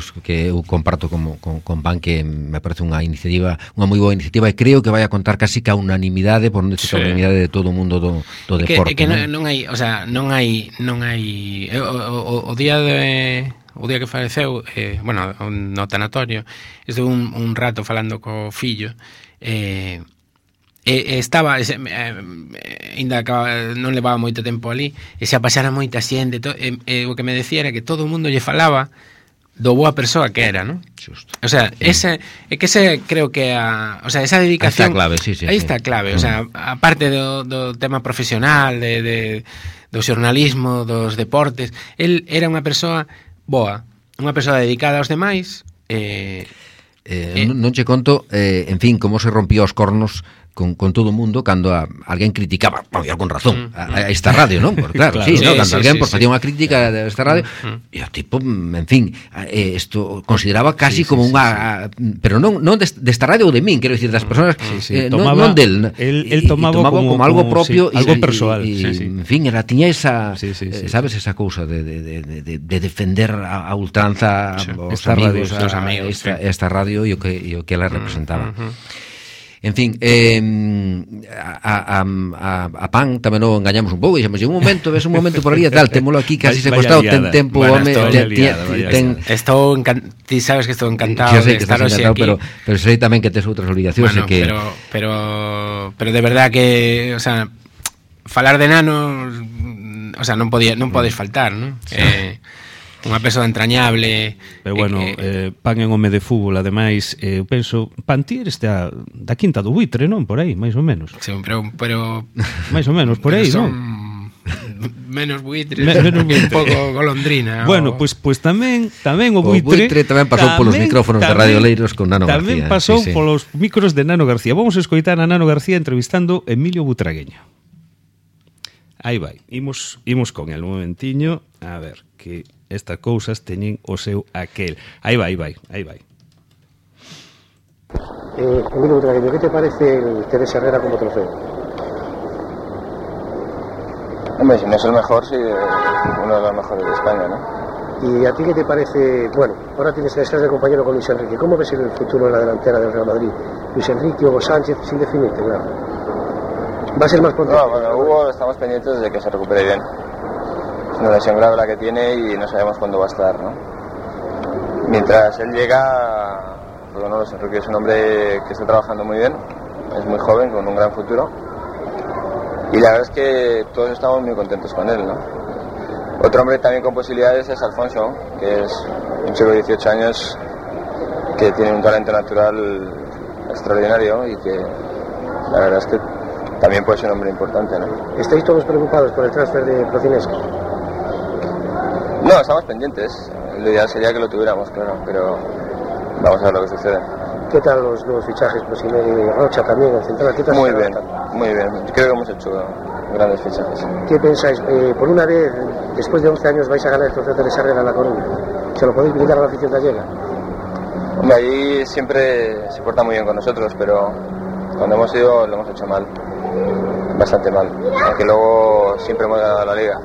eu comparto con Pan, que me parece unha iniciativa, unha moi boa iniciativa, e creo que vai a contar casi ca unanimidade, por non decir a unanimidade de todo o mundo do deporte. Que non hai, o sea, non hai o día que faleceu, bueno, no tanatorio, estuve un rato falando co fillo, estaba ainda non levaba moito tempo ali, e se pasara moita xente, o que me decía era que todo o mundo lle falaba do boa persoa que era, ¿no? Justo. O sea, ese creo que o sea, esa dedicación, aí está clave, o sea, aparte do tema profesional, do xornalismo, dos deportes, el era unha persoa boa, unha persoa dedicada aos demais. Non che conto, en fin, como se rompía os cornos con todo o mundo cando alguén criticaba, con razón, a esta radio, non? Porque claro, sí, ¿no? Cando alguén facía unha crítica a esta radio, e o tipo, en fin, isto consideraba casi como unha... Pero non desta radio ou de min, quero dicir, das persoas, non del. El tomaba como algo propio, algo persoal. En fin, tiña esa, sabes, esa cousa de defender a ultranza os amigos, esta radio e o que ela representaba. En fin, a Pan tamén non engañamos un pouco, dixemos, un momento por ali e tal, témolo aquí casi secuestrado, ten tempo, ti sabes que estou encantado de estar hoxe aquí, pero sei tamén que tes outras obligacións. Pero de verdad que, o sea, falar de Nano, o sea, non podes faltar, non? Unha persoa entrañable. Pero bueno, Pan en home de fútbol, ademais, eu penso, Pan ti eres da Quinta do Buitre, non? Por aí, máis ou menos. Sí, pero máis ou menos, por aí, non? Menos buitre, un pouco golondrina. Bueno, pois tamén o buitre tamén pasou polos micrófonos de Radio Leiros con Nano García. Tamén pasou polos micros de Nano García. Vamos a escoitar a Nano García entrevistando Emilio Butragueño. Aí vai, imos con el un momentiño, a ver, que estas cousas teñen o seu aquel. Aí vai. Emilio Butragueño, ¿qué te parece el Teresa Herrera como trofeo? Hombre, si no es el mejor, sí, uno de los mejores de España, ¿no? ¿Y a ti qué te parece? Bueno, ahora estás de compañero con Luis Enrique. ¿Cómo ves el futuro de la delantera del Real Madrid? Luis Enrique, Hugo Sánchez, sin definirte, claro. ¿Va a ser más pronto? No, bueno, Hugo estamos pendientes de que se recupere bien. Es una lesión grave la que tiene y no sabemos cuándo va a estar, ¿no? Mientras él llega, pues bueno, Luis Enrique es un hombre que está trabajando muy bien, es muy joven, con un gran futuro. Y la verdad es que todos estamos muy contentos con él, ¿no? Otro hombre también con posibilidades es Alfonso, que es un chico de 18 años que tiene un talento natural extraordinario y que la verdad es que también puede ser un hombre importante, ¿no? ¿Estáis todos preocupados por el transfer de Procinesco? No, estamos pendientes. Lo ideal sería que lo tuviéramos, claro, pero vamos a ver lo que sucede. ¿Qué tal los fichajes? Rocha también, el central. ¿Qué tal? Muy bien. Creo que hemos hecho grandes fichajes. ¿Qué pensáis? Por una vez, después de 11 años, vais a ganar el trofeo de Sarrera a La Coruña. ¿Se lo podéis brindar a la afición gallega? Hombre, ahí siempre se porta muy bien con nosotros, pero cuando hemos ido lo hemos hecho mal. Bastante mal. Aunque luego siempre hemos ganado la liga.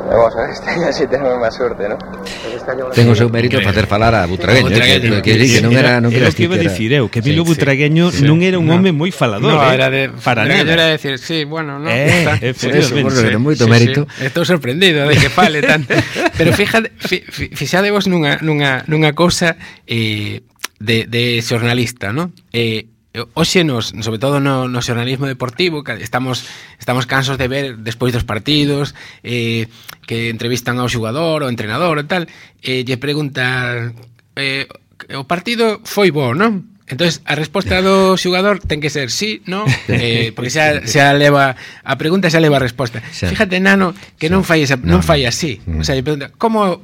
Vamos a ver, este año sí tenemos máis suerte, ¿no? Ten o seu mérito facer falar a Butragueño, que non era que iba a dicir eu, que Emilio Butragueño non era un home moi falador, era de para nada. Era decir, sí, bueno, no. Efectivamente, moito mérito. Estou sorprendido de que fale tanto. Pero fixadevos nunha cousa de xornalista, ¿no? Hoxe sobre todo no xornalismo deportivo, estamos cansos de ver despois dos partidos que entrevistan ao xogador ou entrenador e tal, lle preguntan o partido foi bo, non? Entonces a resposta do xogador ten que ser sí, no, porque xa leva a pregunta, xa leva a resposta. Fíjate, Nano, que non fai así. O sea, lle pregunta, ¿cómo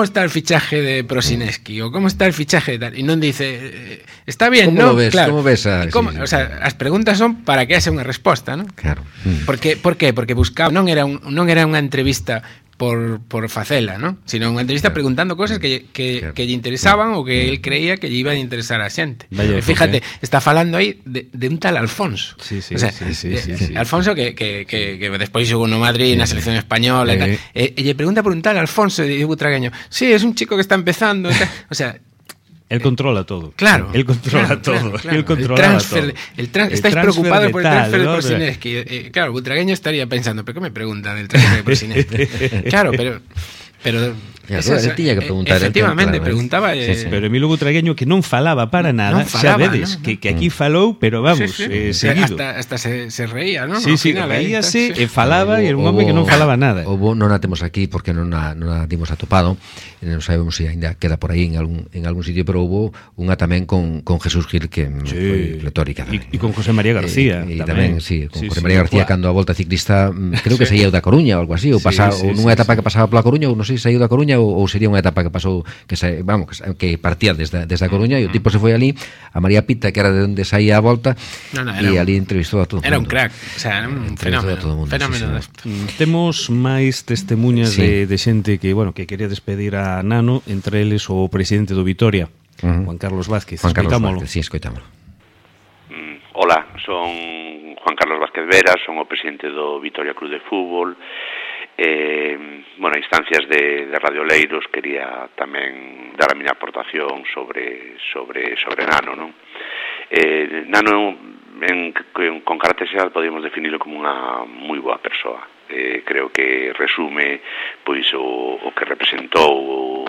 está el fichaje de Prosineski? O ¿cómo está el fichaje de tal? Y non dice, está bien, ¿no? ¿Cómo ves o sea, as preguntas son para que haxa unha resposta, ¿no? Claro. Por qué? Porque buscaba, non era unha entrevista por facela, ¿no? Sino unha entrevista preguntando cosas que lle interesaban ou que él creía que lle iban a interesar a xente. Fíjate, está falando aí de un tal Alfonso. Sí. Alfonso que despois xogou no Madrid, na selección española e tal. E lle pregunta por un tal Alfonso de Butragueño. Sí, es un chico que está empezando. O sea, él controla todo. Claro. Él controla todo. Él controla todo. Estáis preocupados por el transfer de Prosineski. Claro, Butragueño estaría pensando, ¿pero qué me preguntan del transfer de Prosineski? Claro, pero tiña que preguntar. Efectivamente, preguntaba. Pero Emilio Butragueño, que non falaba para nada, xa vedes, que aquí falou, pero vamos, seguido. Hasta se reía, ¿no? Sí, reíase e falaba, e era un home que non falaba nada. Non a temos aquí porque non a dimos atopado, non sabemos se ainda queda por aí en algún sitio, pero houve unha tamén con Jesús Gil que foi pletórica. E con José María García. E tamén, con José María García cando a volta ciclista, creo que saía da Coruña ou algo así, ou nunha etapa que pasaba pola Coruña, ou non sei se saíu da Coruña ou sería unha etapa que pasou que partía desde a Coruña e o tipo se foi ali a María Pita, que era de onde saía a volta, e ali entrevistou a todo o mundo. Era un crack, o sea, era un fenómeno. Temos máis testemunhas de xente que quería despedir a Nano, entre eles o presidente do Vitoria, Juan Carlos Vázquez. Escoitámolo. Hola, son Juan Carlos Vázquez Vera, son o presidente do Vitoria Club de Fútbol. A instancias de Radio Leiros quería tamén dar a miña aportación sobre Nano, non? Nano con carácter xeral podemos definirlo como unha moi boa persoa. Creo que resume pois o que representou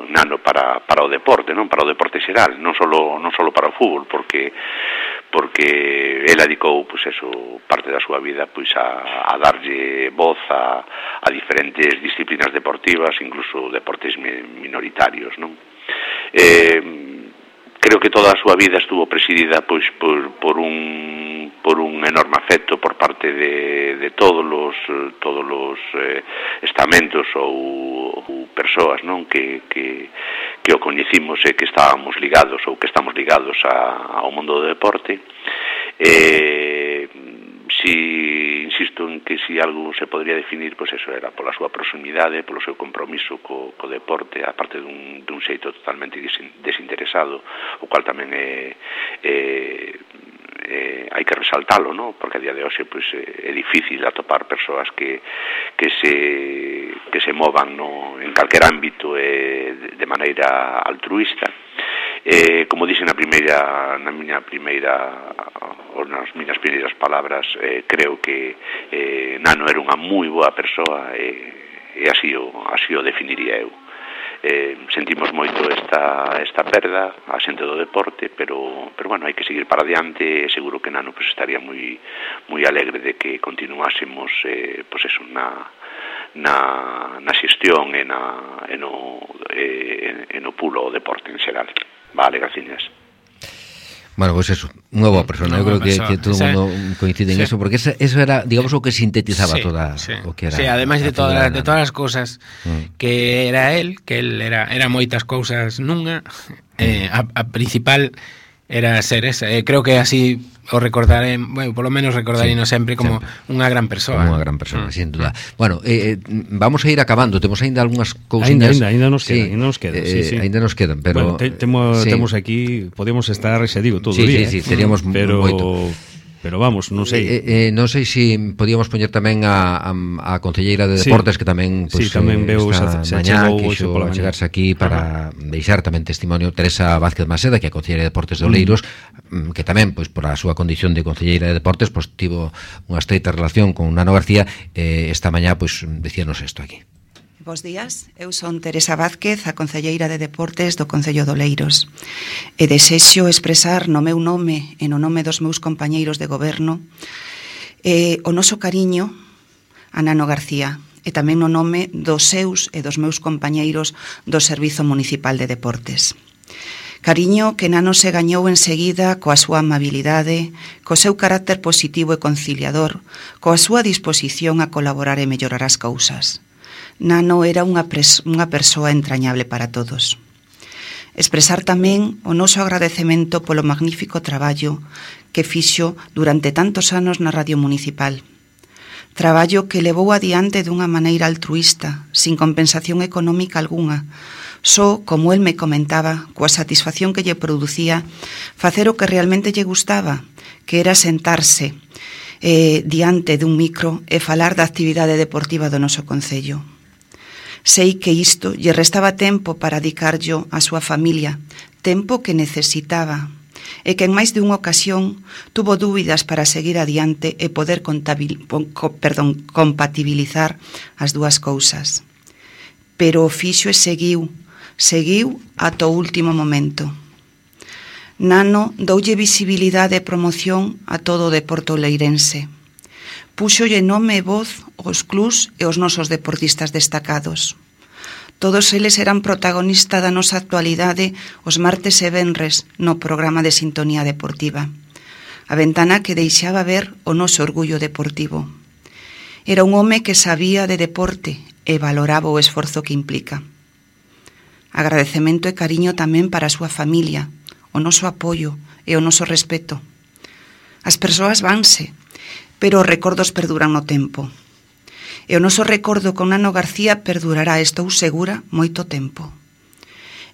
Nano para o deporte, non? Para o deporte xeral, non solo para o fútbol, porque ela dedicou parte da súa vida a darlle voz a diferentes disciplinas deportivas, incluso deportes minoritarios, non? Creo que toda a súa vida estuvo presidida por un enorme afecto por parte de todos os estamentos ou persoas, non, que o coñecimos e que estábamos ligados ou que estamos ligados ao mundo do deporte. Insisto en que si algo se podría definir, pois eso era pola súa proximidade, polo seu compromiso co deporte, aparte dun xeito totalmente desinteresado, o cual tamén hai que resaltalo, ¿no? Porque a día de hoxe pois é difícil atopar persoas que se movan en calquer ámbito de maneira altruista. Como dixen nas miñas primeiras palabras, creo que Nano era unha moi boa persoa e así o definiría eu. Sentimos moito esta perda a xente do deporte, pero hai que seguir para adiante e seguro que Nano estaría moi alegre de que continuásemos na xestión e no pulo o deporte en xeral. Vale, gracias. Bueno, pues eso, unha boa persona. Eu creo que todo o mundo coincide en eso, porque eso era, digamos, o que sintetizaba toda o que era. Sí, ademais de todas as cousas que era él, era moitas cousas nunha, a principal era ser esa. Creo que así o recordaré, bueno, polo menos recordarino sempre como unha gran persoa. Como unha gran persoa, sin duda. Bueno, vamos a ir acabando, temos aínda algunhas cousiñas. Ainda nos quedan, Ainda nos quedan, pero bueno, temos aquí, podemos estar, xa digo, todo o día. Sí, teríamos moito. Pero vamos, non sei. Non sei se podíamos poñer tamén a concelleira de Deportes, que tamén tamén veu esta mañá quixo chegarse aquí para deixar tamén testimonio. Teresa Vázquez Maseda, que é a concelleira de Deportes de Oleiros, que tamén, pois, por a súa condición de concelleira de Deportes, pois tivo unha estreita relación con Nano García. Esta mañá, pois, decíanos isto aquí. Bos días, eu son Teresa Vázquez, a concelleira de Deportes do Concello de Oleiros, e desexo expresar no meu nome e no nome dos meus compañeiros de goberno o noso cariño a Nano García, e tamén no nome dos seus e dos meus compañeiros do Servizo Municipal de Deportes. Cariño que Nano se gañou enseguida coa súa amabilidade, co seu carácter positivo e conciliador, coa súa disposición a colaborar e mellorar as cousas. Nano era unha persoa entrañable para todos. Expresar tamén o noso agradecemento polo magnífico traballo que fixo durante tantos anos na Radio Municipal. Traballo que levou adiante dunha maneira altruísta, sin compensación económica algunha, só, como el me comentaba, coa satisfacción que lle producía facer o que realmente lle gustaba, que era sentarse diante dun micro e falar da actividade deportiva do noso concello. Sei que isto lle restaba tempo para dedicarllo á súa familia, tempo que necesitaba, e que en máis de unha ocasión tuvo dúbidas para seguir adiante e poder compatibilizar as dúas cousas. Pero o fixo e seguiu ata o último momento. Nano doulle visibilidade e promoción a todo o deporte oleirense. Púxolle nome e voz aos clubs e aos nosos deportistas destacados. Todos eles eran protagonista da nosa actualidade os martes e venres no programa de Sintonía Deportiva, a ventana que deixaba ver o noso orgullo deportivo. Era un home que sabía de deporte e valoraba o esforzo que implica. Agradecemento e cariño tamén para a súa familia, o noso apoio e o noso respeto. As persoas vanse, pero os recordos perduran no tempo. E o noso recordo con Nano García perdurará, estou segura, moito tempo.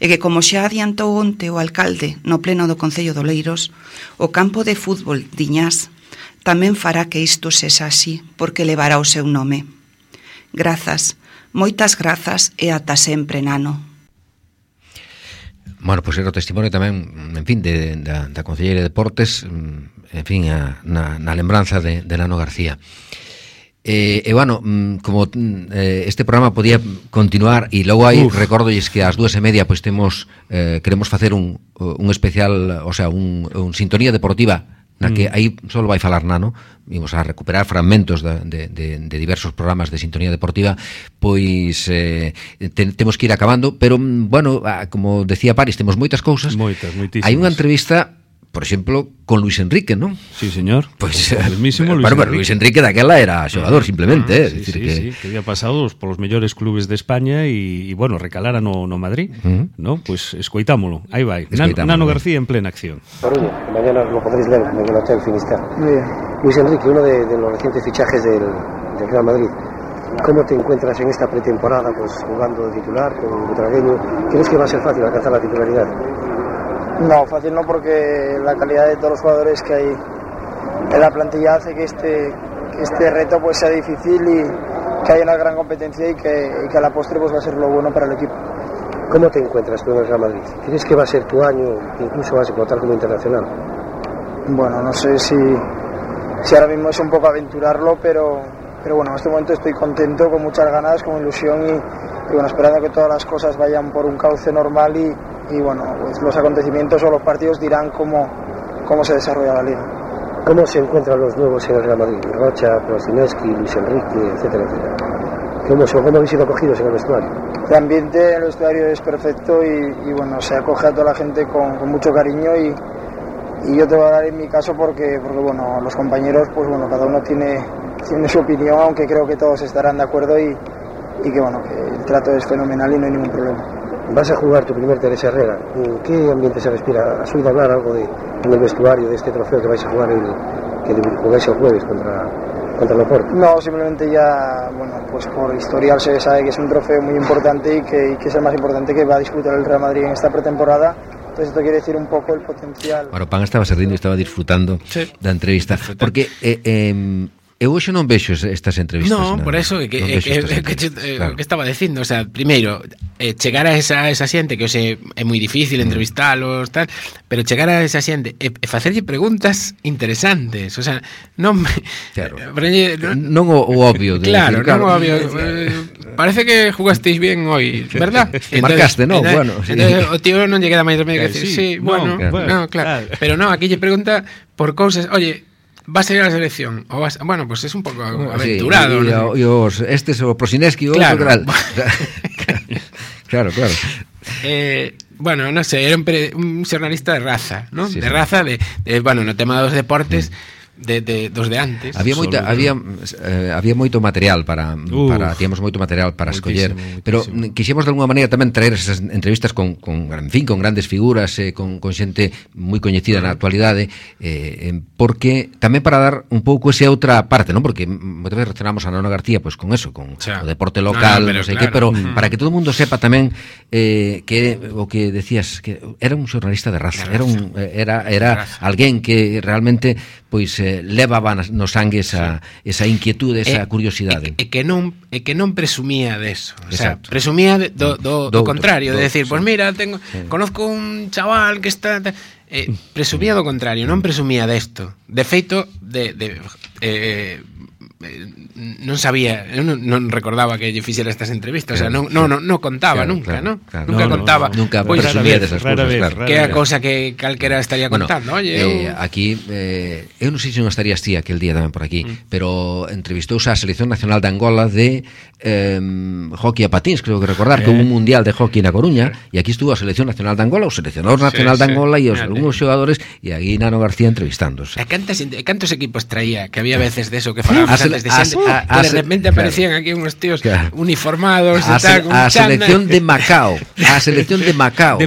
E que, como xa adiantou onte o alcalde no pleno do Concello de Oleiros, o campo de fútbol Diñás tamén fará que isto sexa así, porque levará o seu nome. Grazas, moitas grazas e ata sempre, Nano. Bueno, pois era o testimonio tamén, en fin, da concelleira de Deportes, en fin, na lembranza de Nano García. E bueno, como este programa podía continuar, e logo aí recordolles que ás 2:30 pois queremos facer un especial, o sea, un sintonía deportiva na que aí só vai falar Nano. Vimos a recuperar fragmentos de diversos programas de sintonía deportiva, pois temos que ir acabando, pero bueno, como decía Paris, temos moitas cousas. Moitísimas. Hai unha entrevista, por exemplo, con Luis Enrique, ¿no? Sí, señor. Pois el mismísimo Luis Enrique. Luis Enrique daquela era xogador, simplemente, que había pasado polos mellores clubes de España e bueno, recalara no Madrid, ¿no? Pois escoitámolo. Aí vai. Nano García en plena acción. Coruña, mañana lo podréis ver en el Hotel Finisterre. Muy bien. Luis Enrique, uno de los recientes fichajes del Real Madrid. ¿Cómo te encuentras en esta pretemporada, pues jugando de titular con Butragueño? ¿Crees que va a ser fácil alcanzar la titularidad? No, fácil no, porque la calidad de todos los jugadores que hay en la plantilla hace que este reto pues sea difícil y que haya una gran competencia y que a la postre pues va a ser lo bueno para el equipo. ¿Cómo te encuentras tú en el Real Madrid? ¿Crees que va a ser tu año, incluso vas a explotar como internacional? Bueno, no sé si ahora mismo es un poco aventurarlo, pero bueno, en este momento estoy contento, con muchas ganas, con ilusión y bueno, esperando que todas las cosas vayan por un cauce normal y bueno, pues los acontecimientos o los partidos dirán cómo se desarrolla la liga. ¿Cómo se encuentran los nuevos en el Real Madrid? Rocha, Prosineski, Luis Enrique, etcétera, etcétera. ¿Cómo habéis sido acogidos en el vestuario? El ambiente en el vestuario es perfecto y bueno, se acoge a toda la gente con mucho cariño y yo te voy a dar en mi caso porque bueno, los compañeros, pues bueno, cada uno tiene su opinión, aunque creo que todos estarán de acuerdo y que bueno, que el trato es fenomenal y no hay ningún problema. Vas a jugar tu primer Teresa Herrera. ¿En qué ambiente se respira? ¿Has oído hablar algo en el vestuario de este trofeo que vais a jugar que jugáis el jueves contra el Oporto? No, simplemente ya, bueno, pues por historial se sabe que es un trofeo muy importante y que es el más importante que va a disputar el Real Madrid en esta pretemporada. Entonces esto quiere decir un poco el potencial. Bueno, Pan estaba se rindo e estaba disfrutando da entrevista, porque eu hoxe non vexo estas entrevistas. No, por eso que estaba dicindo, o sea, primeiro, chegar a esa xente que hoxe é moi difícil entrevistalos, tal, pero chegar a esa xente e facerlle preguntas interesantes, o sea, non claro. Non o obvio de claro, decir, non o obvio. Parece que jugasteis bien hoy, ¿verdad? Marcaste, no, bueno. Entonces, o tío non lle queda máis remedio que decir, sí, bueno, claro. Pero no, aquí lle pregunta por cousas, oye, vas a ir a la selección o vas, bueno, pues es un poco aventurado, sí, ¿no? Este es o Prosineski o claro. Claro. Bueno, no sé, era un xornalista de raza, ¿no? Sí, de raza de bueno, no tema dos deportes. Dos de antes. Había moito material para tíamos moito material para escoller, pero quixemos de alguna maneira tamén traer esas entrevistas con grandes figuras, con xente moi coñecida na actualidade, porque tamén para dar un pouco esa outra parte, non? Porque moitas veces relacionamos a Nano García pois con eso, con o deporte local, non sei que, pero para que todo o mundo sepa tamén que o que decías, que era un xornalista de raza, era alguén que realmente pois levaba no sangue esa inquietude, esa curiosidade. E que non presumía deso, o sea, presumía do contrario, de decir, pues mira, conozco un chaval que está presumía do contrario, non presumía desto. De feito, non sabía, non recordaba que lle fixera estas entrevistas, o sea, non contaba nunca, ¿no? Nunca contaba. Nunca presumía desas cousas, claro. Que é a cousa que calquera estaría contando, oye. Aquí, eu non sei se non estarías ti aquel día tamén por aquí, pero entrevistouse a Selección Nacional de Angola de hockey a patins, creo que recordar, que hubo un mundial de hockey na Coruña, e aquí estuvo a Selección Nacional de Angola, o seleccionador nacional de Angola e os algúns xogadores, e aí Nano García entrevistándose. Cantos equipos traía, que había veces de eso que falábamos antes de xente, que de repente aparecían aquí unos tíos uniformados a selección de Macao, a selección de Macao,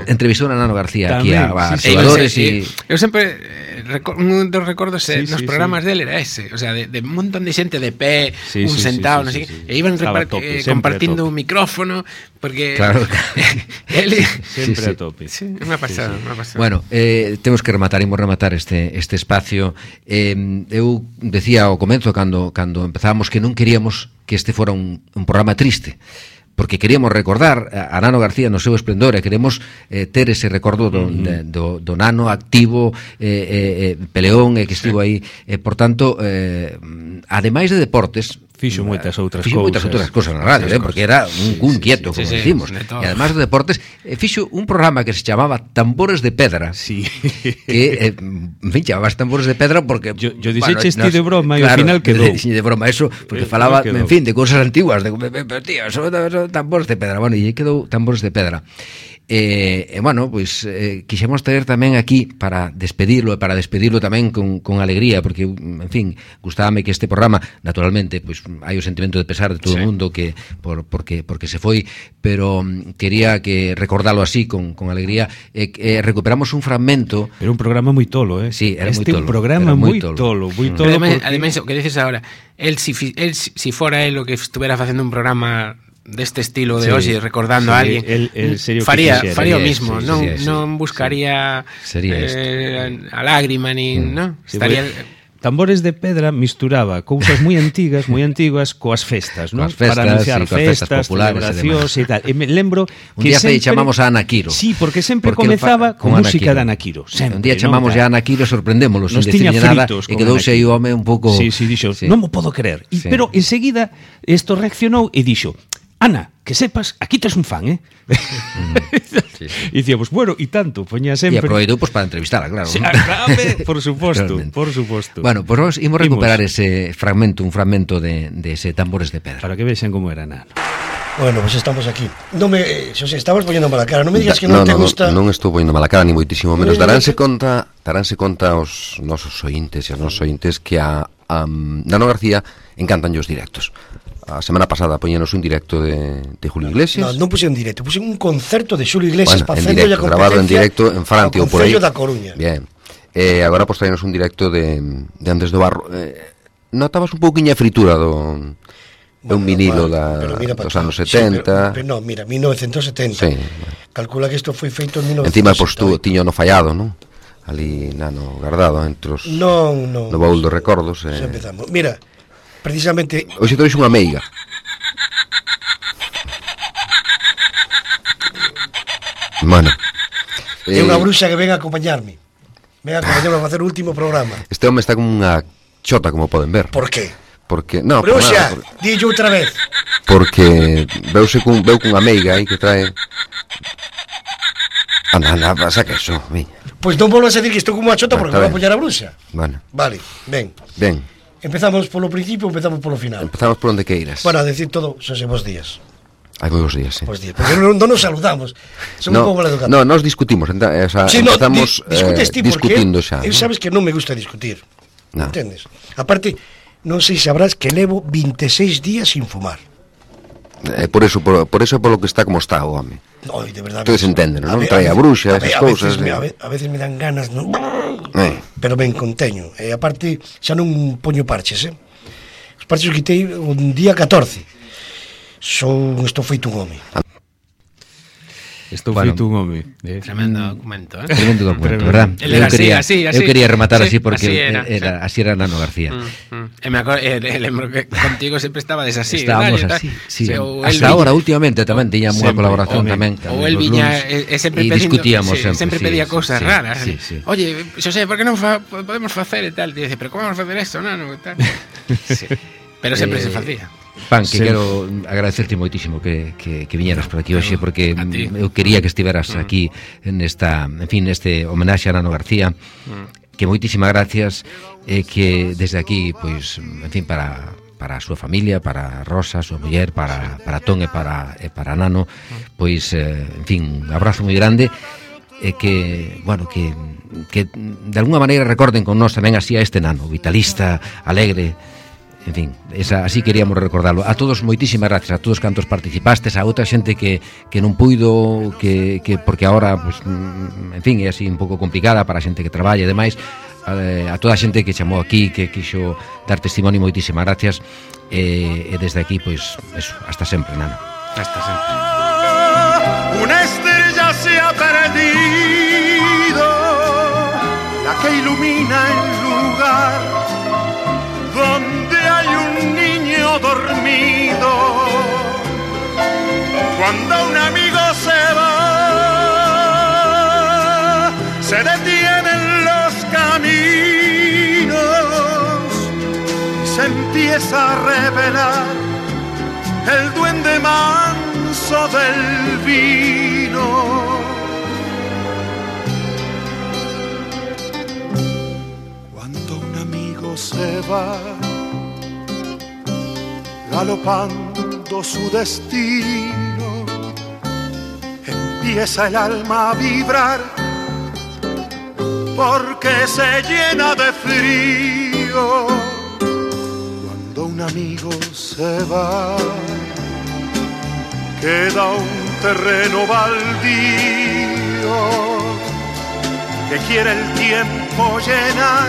entrevistou a Nano García aquí a xogadores e eu sempre un dos recordos nos programas dele era ese, o sea, de un montón de xente de pé, un sentado, non sei que, e iban compartindo un micrófono, porque ele sempre a tope. Me ha pasado. Bueno, temos que rematar este espacio. Eu decía ao comezo cando empezábamos que non queríamos que este fora un programa triste, porque queríamos recordar a Nano García no seu esplendor e queremos ter ese recordo do Nano activo, peleón, que estivo aí, por tanto, ademais de deportes, fixo moitas outras cousas na radio, porque era un quieto, como decimos, e ademais de deportes fixo un programa que se chamaba Tambores de Pedra, que en fin, chamabas Tambores de Pedra porque yo dixeche de broma e ao final quedou de broma eso, porque falaba, en fin, de cousas antiguas, tío, son tambores de pedra, bueno, e quedou Tambores de Pedra. Bueno, pois quixemos traer tamén aquí para despedirlo tamén con alegría, porque, en fin, gustábame que este programa, naturalmente, pois hai o sentimento de pesar de todo o mundo que porque se foi, pero quería que recordarlo así con alegría. Recuperamos un fragmento. Era un programa moi tolo, Sí, era moi tolo. Un programa moi tolo. Ademais, o que dices agora, si fora él o que estuviera facendo un programa deste estilo de hoxe, recordando a alguén, faría o mismo, non buscaría a lágrima nin, non? Estaría Tambores de Pedra misturaba cousas moi antigas coas festas, non? Para anunciar festas populares e tal. E me lembro un día chamamos a Ana Quiro. Sí, porque sempre comezaba con música de Ana Quiro. Un día chamamos a Ana Quiro, sorprendémoslo, sin decirle nada, e quedouse aí o home un pouco... Sí, dixo, non mo podo creer. Pero enseguida isto reaccionou e dixo: Ana, que sepas, aquí tes un fan, E dicíamos, bueno, e tanto, poñía sempre... E aproveitou para entrevistarla, claro. Por suposto. Bueno, pois imos recuperar ese fragmento, un fragmento de ese Tambores de Pedra. Para que vexan como era Nano. Bueno, pues estamos aquí. Xosé, estabas poñendo mala cara. Non me digas que non te gusta... Non estou poñendo mala cara, ni moitísimo menos. Daránse conta os nosos ointes e os nosos ointes que a Nano García encantan os directos. A semana pasada poñenos un directo de Julio Iglesias. Non puse un directo, puse un concerto de Julio Iglesias para hacerle a competencia, grabado en directo en Francia ou por aí. Da Coruña. Bien. Agora pues traenos un directo de Andrés do Barro. Notabas un pouquiña fritura do un vinilo dos anos 70. Pero non, mira, 1970. Sí. Calcula que isto foi feito en 1970. Encima pues tú tiño no fallado, non? Ali Nano guardado entre os no baúl dos recordos. Xa empezamos. Mira, precisamente hoxe trouxe unha meiga. Bueno, é unha bruxa que ven a acompañarme. Ven a acompañarme a facer o último programa. Este home está como unha chota, como poden ver. Por qué? Porque, no, bruxa, dillo outra vez. Porque veu cunha meiga aí que trae. Anda, saca eso, miña. Pois non volvas a decir que estou como unha chota porque non vai apoiar a bruxa. Bueno. Vale, ben. Empezamos polo principio, empezamos polo final. Empezamos por onde queiras. Bueno, a decir todo, Xosé, bons días. Hai moi bons días, sí. Bons días, porque non nos saludamos. Somos un pouco maleducados. No, nos discutimos, empezamos discutindo xa. Sabes que non me gusta discutir. Entendes? Aparte, non sei se sabrás que levo 26 días sin fumar. Por eso polo que está como está o home. No, de verdade. Todos entenden, non? Trae a bruxa, esas cousas. A veces me dan ganas, non? Pero ben conteño. E aparte, xa non poño parches, Os parches os quitei un día 14. Estou feito un home. Estou feito un home. Tremendo documento, Tremendo documento, verdad? Eu quería rematar así porque así era Nano García. Lembro que contigo sempre estabades así. Estábamos así, sí. Hasta ahora, últimamente, tamén tiñamos unha colaboración tamén. Ou el viña sempre discutíamos sempre pedía cousas raras. Oye, Xosé, por que non podemos facer e tal? Dice, pero como vamos a facer isto, Nano? Pero sempre se facía. Pan, que quero agradecerte moitísimo que viñeras por aquí hoxe, porque eu quería que estiveras aquí neste homenaxe a Nano García, que moitísimas gracias, que desde aquí, pois, en fin, para a súa familia, para Rosa, a súa muller, para Ton e para Nano, pois, en fin, un abrazo moi grande, que, bueno, que de alguna maneira recorden con nós tamén así a este Nano, vitalista, alegre. En fin, así queríamos recordarlo. A todos moitísimas gracias, a todos cantos participastes, a outra xente que non puido, que porque agora, pues, en fin, é así un pouco complicada para a xente que traballa e demais, a toda a xente que chamou aquí, que quixo dar testimonio, moitísimas gracias, e desde aquí, pois, eso, hasta sempre, Nano. Hasta sempre. Una estrella se ha perdido, la que ilumina el lugar donde hay un niño dormido. Cuando un amigo se va, se detienen los caminos y se empieza a revelar el duende manso del vino. Se va galopando su destino, empieza el alma a vibrar porque se llena de frío. Cuando un amigo se va, queda un terreno baldío que quiere el tiempo llenar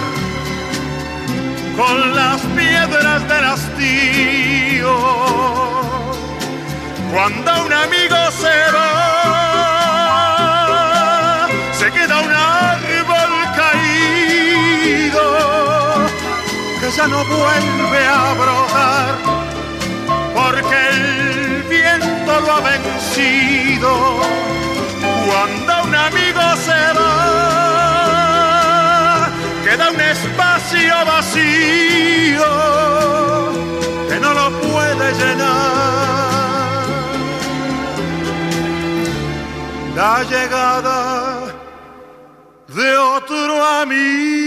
con las piedras del hastío. Cuando un amigo se va, se queda un árbol caído que ya no vuelve a brotar porque el viento lo ha vencido. Cuando un amigo se va, queda un espacio vacío que no lo puede llenar. La llegada de otro amigo